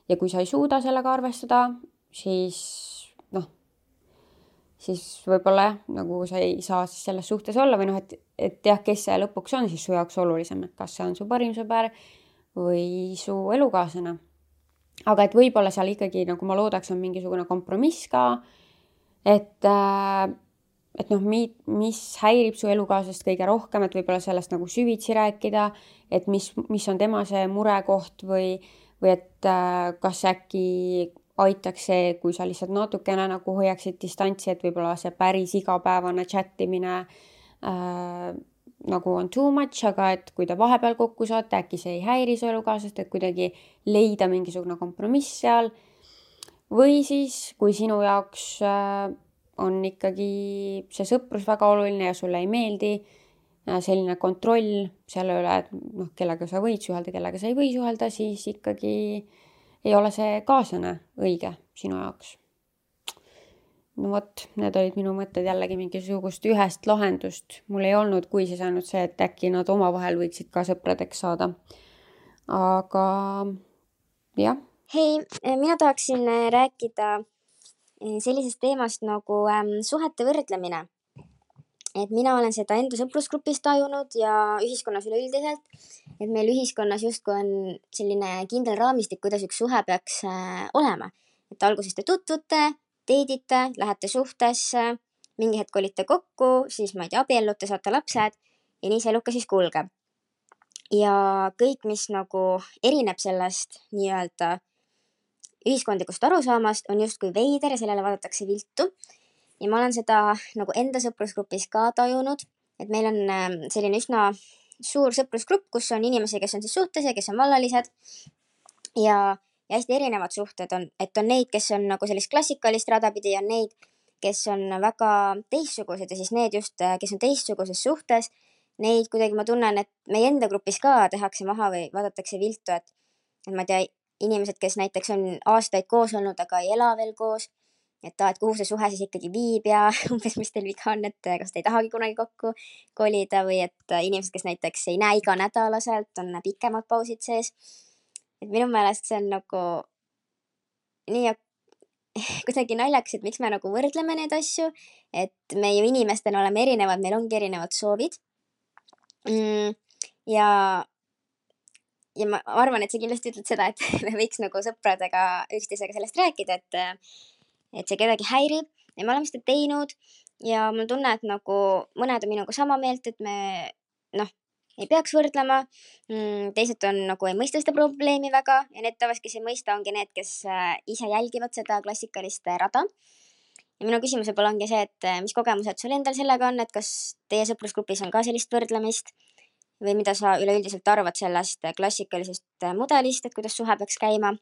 Speaker 1: Ja kui sa ei suuda sellega arvestada, siis noh, siis võib-olla nagu sa ei saa siis selles suhtes olla või noh, et, et jah, kes see lõpuks on siis su jaoks olulisem, et kas see on su parim sõber või su elukaaslane. Aga et võib-olla seal ikkagi, nagu ma loodaks, on mingisugune kompromiss ka, et, et noh, mis häirib su elukaaslast kõige rohkem, et võib-olla sellest nagu süvitsi rääkida, et mis, mis on tema see murekoht või, või et kas äkki aitaks see, kui sa lihtsalt natukene nagu hoiaksid distantsi, et võib-olla see päris igapäevane chattimine äh, nagu on too much, aga et kui te vahepeal kokku saate, äkki see ei häiri su elukaaslast, et kuidagi leida mingisugune kompromiss seal. Või siis, kui sinu jaoks äh, on ikkagi see sõprus väga oluline ja sulle ei meeldi äh, selline kontroll selle üle, et noh, kellega sa võid suhelda, kellega sa ei või suhelda, siis ikkagi ei ole see kaaslane õige sinu jaoks. No vot, need olid minu mõtted jällegi mingisugust ühest lahendust. Mul ei olnud, kui siis ainult see, et äkki nad omavahel võiksid ka sõpradeks saada. Aga jah.
Speaker 3: Hei, mina tahaksin rääkida sellisest teemast nagu suhete võrdlemine. Et mina olen seda enda sõprusgrupis tajunud ja ühiskonnas üleüldiselt, et meil ühiskonnas justkui on selline kindel raamistik, kuidas üks suhe peaks äh, olema. Et alguses te tutvute, teedite, lähete suhtesse, mingi hetk olite kokku, siis ma ei tea, abiellute, saate lapsed ja nii see eluka siis kulgeb. Ja kõik, mis nagu erineb sellest nii-öelda ühiskondlikust arusaamast, on justkui veider ja sellele vaadatakse viltu. Ja ma olen seda nagu enda sõprusgrupis ka tajunud, et meil on selline üsna suur sõprusgrupp, kus on inimesi, kes on siis suhtes ja kes on vallalised ja, ja hästi erinevad suhted on, et on neid, kes on nagu sellist klassikalist rada pidi ja on neid, kes on väga teistsugused ja siis need just, kes on teistsuguses suhtes, neid kuidagi ma tunnen, et meie enda grupis ka tehakse maha või vaadatakse viltu, et, et ma ei tea, inimesed, kes näiteks on aastaid koos olnud, aga ei ela veel koos, et, ta, et kuhu see suhe siis ikkagi viib ja umbes, mis teil viga on, et kas te ei tahagi kunagi kokku kolida või et inimesed, kes näiteks ei näe iga nädalaselt, on pikemad pausid sees. Et minu meelest see on nagu nii kuidagi naljakas, et miks me nagu võrdleme neid asju, et me ju inimestena oleme erinevad, meil ongi erinevad soovid. Mm, ja Ja ma arvan, et sa kindlasti ütled seda, et me võiks nagu sõpradega üksteisega sellest rääkida, et, et see kedagi häirib ja me oleme seda teinud ja mul tunne, et nagu mõned on minuga sama meelt, et me noh, ei peaks võrdlema. Teised on nagu ei mõista seda probleemi väga ja need tavast, kes ei mõista, ongi need, kes ise jälgivad seda klassikalist rada. Ja minu küsimus võib-olla ongi see, et mis kogemused sul endal sellega on, et kas teie sõprusgrupis on ka sellist võrdlemist? Või mida sa üleüldiselt arvad sellest klassikalisest mudelist, et kuidas suhe peaks käima?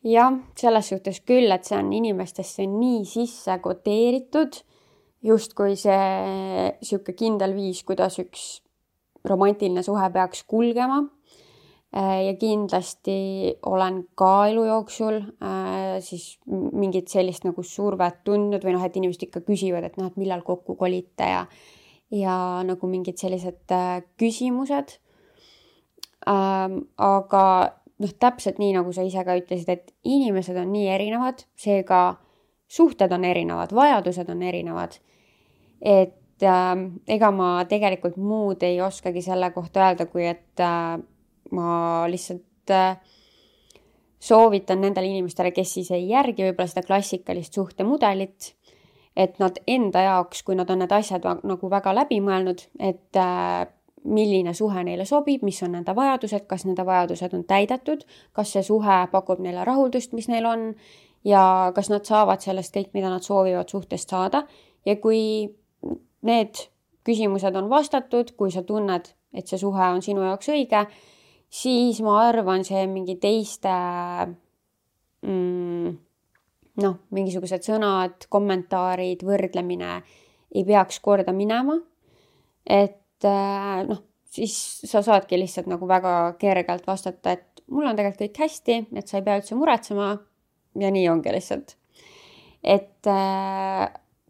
Speaker 1: Jah, selles suhtes küll, et see on inimestesse nii sisse koteeritud, just kui see siuke kindel viis, kuidas üks romantiline suhe peaks kulgema. Ja kindlasti olen ka elu jooksul siis mingit sellist nagu survet tundnud või noh, et inimesed ikka küsivad, et noh, et millal kokku kolite ja ja nagu mingid sellised äh, küsimused. Ähm, aga noh, täpselt nii, nagu sa ise ka ütlesid, et inimesed on nii erinevad, seega suhted on erinevad, vajadused on erinevad. Et äh, ega ma tegelikult muud ei oskagi selle kohta öelda, kui et äh, ma lihtsalt äh, soovitan nendele inimestele, kes siis ei järgi võib-olla seda klassikalist suhtemudelit, et nad enda jaoks, kui nad on need asjad nagu väga läbi mõelnud, et äh, milline suhe neile sobib, mis on nende vajadused, kas nende vajadused on täidetud, kas see suhe pakub neile rahuldust, mis neil on ja kas nad saavad sellest kõik, mida nad soovivad suhtest saada. Ja kui need küsimused on vastatud, kui sa tunned, et see suhe on sinu jaoks õige, siis ma arvan, see mingi teiste mm, noh, mingisugused sõnad, kommentaarid, võrdlemine ei peaks korda minema, et noh, siis sa saadki lihtsalt nagu väga kergelt vastata, et mul on tegelikult kõik hästi, et sa ei pea üldse muretsema ja nii ongi lihtsalt. Et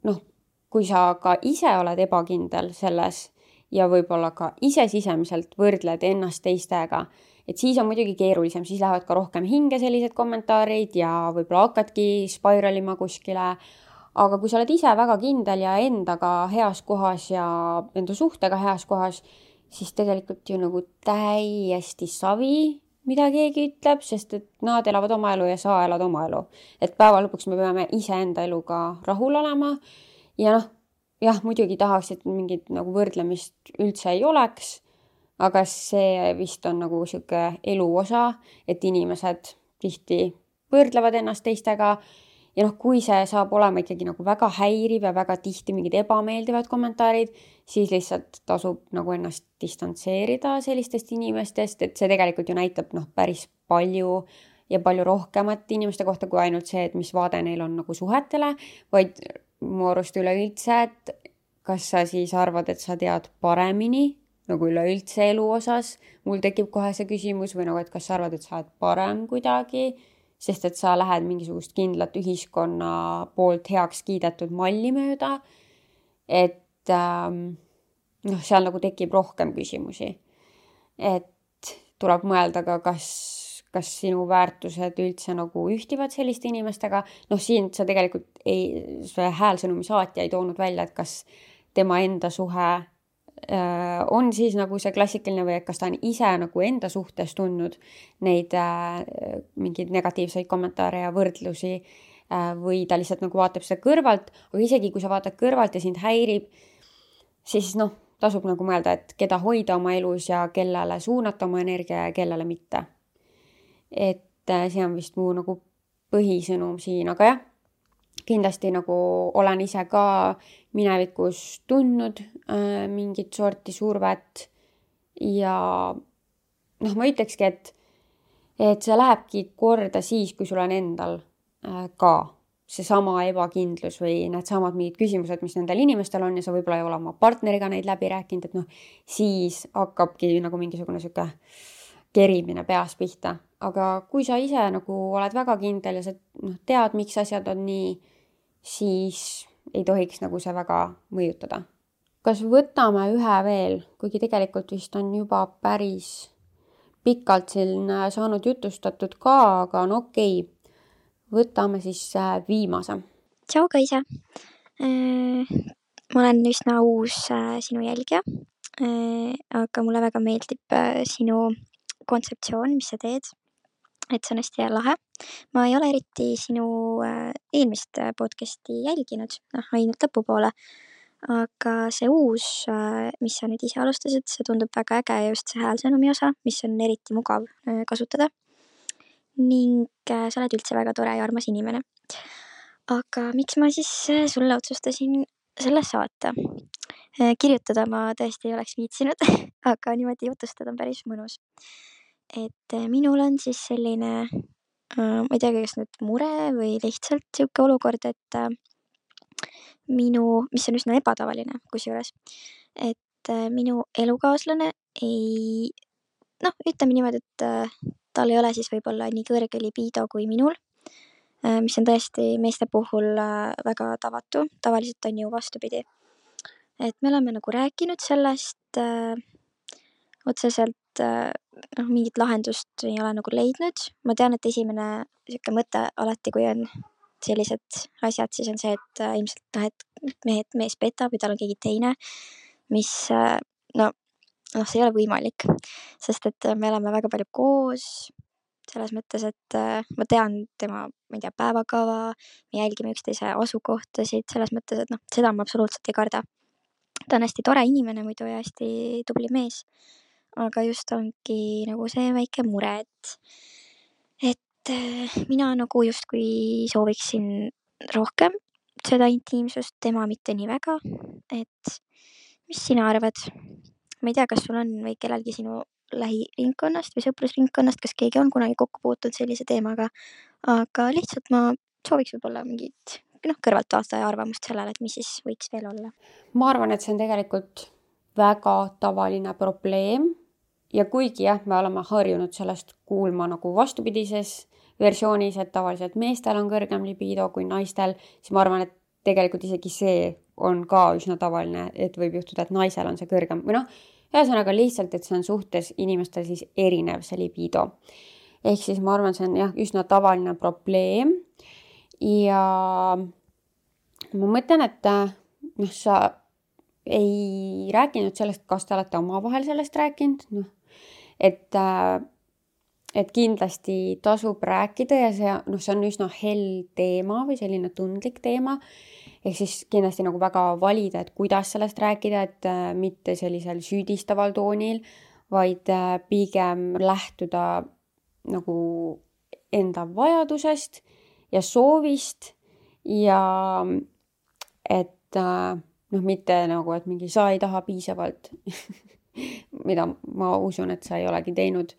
Speaker 1: noh, kui sa ka ise oled ebakindel selles ja võib-olla ka ise sisemiselt võrdled ennast teistega, et siis on muidugi keerulisem, siis lähevad ka rohkem hinge sellised kommentaarid ja võib-olla hakkadki spiralima kuskile. Aga kui sa oled ise väga kindel ja endaga heas kohas ja enda suhtega heas kohas, siis tegelikult ju nagu täiesti savi, mida keegi ütleb, sest et nad elavad oma elu ja sa elad oma elu. Et päeva lõpuks me peame ise enda eluga rahul olema ja noh, jah, muidugi tahaks, et mingit nagu võrdlemist üldse ei oleks, aga see vist on nagu siuke elu osa, et inimesed tihti võrdlevad ennast teistega ja noh, kui see saab olema ikkagi nagu väga häiriv ja väga tihti mingid ebameeldivad kommentaarid, siis lihtsalt tasub nagu ennast distantseerida sellistest inimestest, et see tegelikult ju näitab noh, päris palju ja palju rohkemat inimeste kohta kui ainult see, et mis vaade neil on nagu suhetele, vaid mu arust üleüldse, et kas sa siis arvad, et sa tead paremini nagu üleüldse elu osas, mul tekib kohe see küsimus või nagu, et kas sa arvad, et sa oled parem kuidagi, sest et sa lähed mingisugust kindlat ühiskonna poolt heaks kiidetud malli mööda, et ähm, noh, seal nagu tekib rohkem küsimusi. Et tuleb mõelda ka, kas, kas sinu väärtused üldse nagu ühtivad selliste inimestega. Noh, siin sa tegelikult ei, see häälsõnumi saatja ei toonud välja, et kas tema enda suhe äh, on siis nagu see klassikaline või kas ta on ise nagu enda suhtes tundnud neid äh, mingeid negatiivseid kommentaare ja võrdlusi äh, või ta lihtsalt nagu vaatab seda kõrvalt, aga isegi kui sa vaatad kõrvalt ja sind häirib, siis noh, tasub nagu mõelda, et keda hoida oma elus ja kellele suunata oma energia ja kellele mitte. Et äh, see on vist mu nagu põhisõnum siin, aga jah, kindlasti nagu olen ise ka minevikus tundnud äh, mingit sorti survet ja noh, ma ütlekski, et, et see lähebki korda siis, kui sul on endal äh, ka seesama ebakindlus või need samad mingid küsimused, mis nendel inimestel on ja sa võib-olla ei ole oma partneriga neid läbi rääkinud, et noh, siis hakkabki nagu mingisugune sihuke kerimine peas pihta. Aga kui sa ise nagu oled väga kindel ja sa noh, tead, miks asjad on nii, siis ei tohiks nagu see väga mõjutada. Kas võtame ühe veel, kuigi tegelikult vist on juba päris pikalt siin saanud jutustatud ka, aga no okei, võtame siis viimase.
Speaker 5: Tšau Kaisa! Ma olen üsna uus sinu jälgija, aga mulle väga meeldib sinu kontseptsioon, mis sa teed. Et see on hästi lahe. Ma ei ole eriti sinu eelmist podcasti jälginud, noh, ainult lõpupoole, aga see uus, mis sa nüüd ise alustasid, see tundub väga äge ja just see häälsõnumi osa, mis on eriti mugav kasutada. Ning sa oled üldse väga tore ja armas inimene. Aga miks ma siis sulle otsustasin selle saata? Kirjutada ma tõesti ei oleks viitsinud, aga niimoodi jutustada on päris mõnus. Et minul on siis selline, ma ei tea, kas nüüd mure või lihtsalt siuke olukord, et minu, mis on üsna ebatavaline kusjuures, et minu elukaaslane ei, noh, ütleme niimoodi, et tal ei ole siis võib-olla nii kõrge libido kui minul, mis on tõesti meeste puhul väga tavatu, tavaliselt on ju vastupidi. Et me oleme nagu rääkinud sellest otseselt, noh, mingit lahendust ei ole nagu leidnud. Ma tean, et esimene siuke mõte alati, kui on sellised asjad, siis on see, et ilmselt noh, et mehed, mees petab või tal on keegi teine, mis no, noh, see ei ole võimalik, sest et me oleme väga palju koos, selles mõttes, et ma tean tema, ma ei tea, päevakava, me jälgime üksteise asukohtasid, selles mõttes, et noh, seda ma absoluutselt ei karda. Ta on hästi tore inimene muidu ja hästi tubli mees. Aga just ongi nagu see väike mure, et, et mina nagu just kui sooviksin rohkem seda intiimsust, tema mitte nii väga, et mis sina arvad? Ma ei tea, kas sul on või kellelgi sinu lähiringkonnast või sõprusringkonnast, kas keegi on kunagi kokku puutunud sellise teemaga, aga lihtsalt ma sooviks võib-olla mingit noh, kõrvalt vaataja arvamust sellele, et mis siis võiks veel olla.
Speaker 1: Ma arvan, et see on tegelikult väga tavaline probleem. Ja kuigi jah, me oleme harjunud sellest kuulma nagu vastupidises versioonis, et tavaliselt meestel on kõrgem libido kui naistel, siis ma arvan, et tegelikult isegi see on ka üsna tavaline, et võib juhtuda, et naisel on see kõrgem. Või noh, ühesõnaga lihtsalt, et see on suhtes inimestel siis erinev see libido. Ehk siis ma arvan, see on jah, üsna tavaline probleem. Ja ma mõtlen, et noh, sa ei rääkinud sellest, kas te olete omavahel sellest rääkinud, noh, et, et kindlasti tasub rääkida ja see, noh, see on üsna hell teema või selline tundlik teema, ehk siis kindlasti nagu väga valida, et kuidas sellest rääkida, et mitte sellisel süüdistaval toonil, vaid pigem lähtuda nagu enda vajadusest ja soovist ja et noh, mitte nagu, et mingi sa ei taha piisavalt, mida ma usun, et sa ei olegi teinud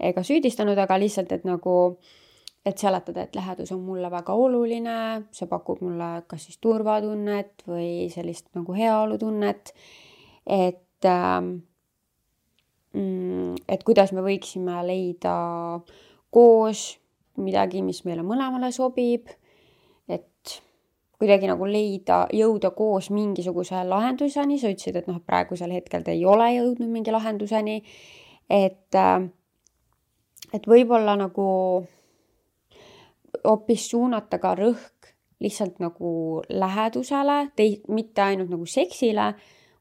Speaker 1: ega süüdistanud, aga lihtsalt, et nagu, et seletada, et lähedus on mulle väga oluline, see pakub mulle kas siis turvatunnet või sellist nagu heaolutunnet, et, et kuidas me võiksime leida koos midagi, mis meile mõlemale sobib, et kuidagi nagu leida, jõuda koos mingisuguse lahenduseni, sa ütlesid, et noh, praegusel hetkel te ei ole jõudnud mingi lahenduseni, et, et võib-olla nagu hoopis suunata ka rõhk lihtsalt nagu lähedusele, tei, mitte ainult nagu seksile,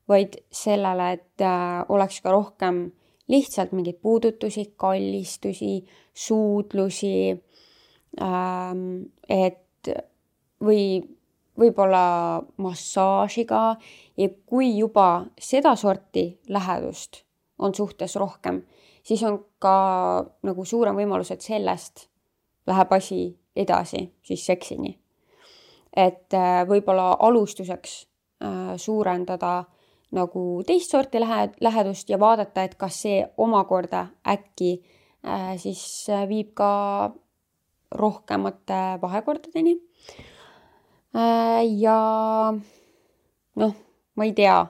Speaker 1: vaid sellele, et oleks ka rohkem lihtsalt mingeid puudutusi, kallistusi, suudlusi, et või võib-olla massaažiga ja kui juba seda sorti lähedust on suhtes rohkem, siis on ka nagu suurem võimalus, et sellest läheb asi edasi siis seksini. Et võib-olla alustuseks suurendada nagu teist sorti lähedust ja vaadata, et kas see omakorda äkki äh, siis viib ka rohkemate vahekordadeni. Äh, ja noh, ma ei tea,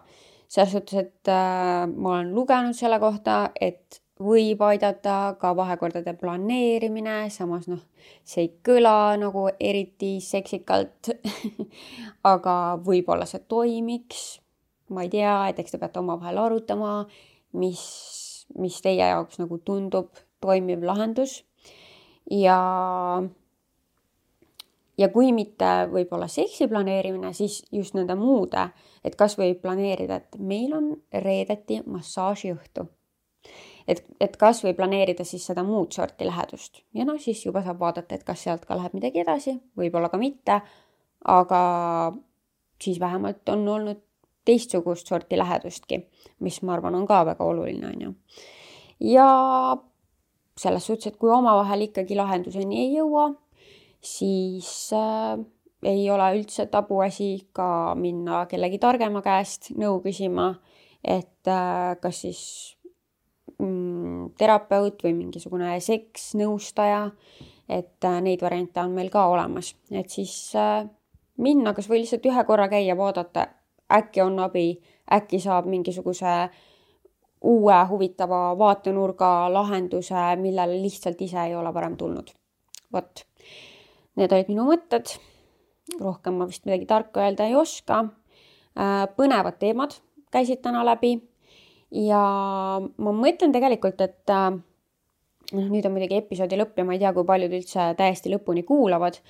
Speaker 1: selles suhtes, et äh, ma olen lugenud selle kohta, et võib aidata ka vahekordade planeerimine, samas noh, see ei kõla nagu eriti seksikalt, aga võib-olla see toimiks. Ma ei tea, et eks te peate omavahel arutama, mis, mis teie jaoks nagu tundub toimiv lahendus. Ja, ja kui mitte võib-olla seksi planeerimine, siis just nende muude, et kas võib planeerida, et meil on reedeti massaažiõhtu. Et, et kas või planeerida siis seda muud sorti lähedust. Ja no siis juba saab vaadata, et kas sealt ka läheb midagi edasi, võib-olla ka mitte, aga siis vähemalt on olnud teistsugust sorti lähedustki, mis ma arvan on ka väga oluline. On ju. Ja selles suhtes, et kui omavahel ikkagi lahenduseni ei jõua, siis äh, ei ole üldse tabuasi ka minna kellegi targema käest nõu küsima, et äh, kas siis mm, terapeut või mingisugune seksnõustaja, et äh, neid variante on meil ka olemas. Et siis äh, minna, kas või lihtsalt ühe korra käia, vaadata, äkki on abi, äkki saab mingisuguse uue huvitava vaatenurga lahenduse, millele lihtsalt ise ei ole varem tulnud. Vot, need olid minu mõtted. Rohkem ma vist midagi tarka öelda ei oska. Põnevad teemad käisid täna läbi. Ja ma mõtlen tegelikult, et no, nüüd on muidugi episoodi lõpp ja ma ei tea, kui paljud üldse täiesti lõpuni kuulavad.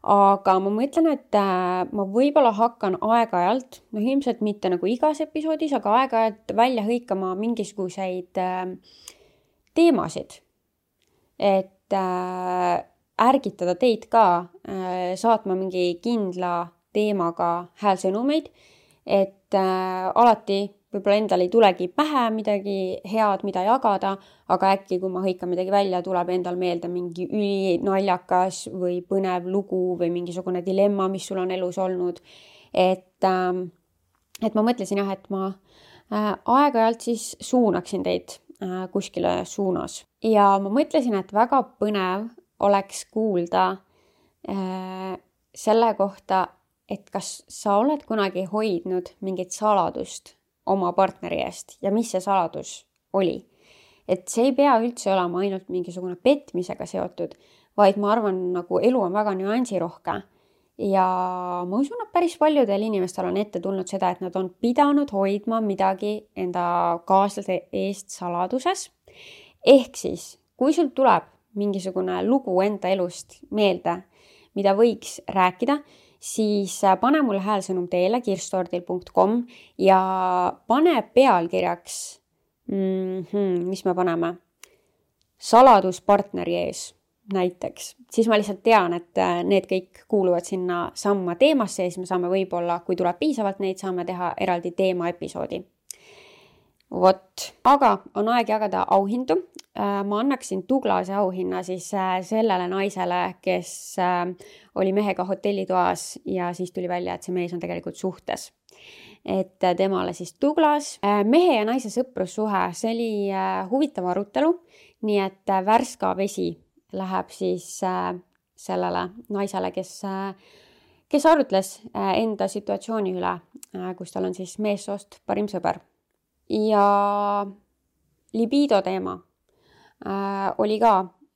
Speaker 1: Aga ma mõtlen, et ma võib-olla hakkan aeg-ajalt, no ilmselt mitte nagu igas episoodis, aga aeg-ajalt välja hõikama mingisuguseid teemasid. Et ärgitada teid ka saatma mingi kindla teemaga häälsõnumeid, et alati võib-olla endal ei tulegi pähe midagi head, mida jagada, aga äkki, kui ma hõikan midagi välja, tuleb endal meelde mingi ülinaljakas või põnev lugu või mingisugune dilemma, mis sul on elus olnud. Et, et ma mõtlesin jah, et ma aeg-ajalt siis suunaksin teid kuskile suunas. Ja ma mõtlesin, et väga põnev oleks kuulda selle kohta, et kas sa oled kunagi hoidnud mingit saladust oma partneri eest ja mis see saladus oli. Et see ei pea üldse olema ainult mingisugune petmisega seotud, vaid ma arvan, nagu elu on väga nüansirohke. Ja ma usun, et päris paljudel inimestel on ette tulnud seda, et nad on pidanud hoidma midagi enda kaaslase eest saladuses. Ehk siis, kui sul tuleb mingisugune lugu enda elust meelde, mida võiks rääkida, siis pane mulle häälsõnum teele kirstordil punkt com ja pane pealkirjaks, mm-hmm, mis me paneme, saladus partneri ees näiteks. Siis ma lihtsalt tean, et need kõik kuuluvad sinna samma teemasse ja siis me saame võib-olla, kui tuleb piisavalt neid, saame teha eraldi teema episoodi. Vot, aga on aeg jagada auhindu. Ma annaksin Douglase auhinna siis sellele naisele, kes oli mehega hotellitoas ja siis tuli välja, et see mees on tegelikult suhtes. Et temale siis Douglas. Mehe ja naise sõprussuhe, see oli huvitav arutelu, nii et värska vesi läheb siis sellele naisele, kes, kes arutles enda situatsiooni üle, kus tal on siis meessoost parim sõber. Ja libido teema äh, oli ka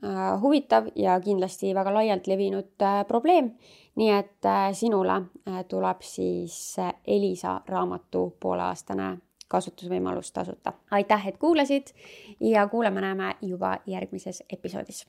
Speaker 1: äh, huvitav ja kindlasti väga laialt levinud äh, probleem. Nii et äh, sinule äh, tuleb siis äh, Elisa raamatu pooleaastane kasutusvõimalus tasuta. Aitäh, et kuulasid ja kuuleme näeme juba järgmises episoodis.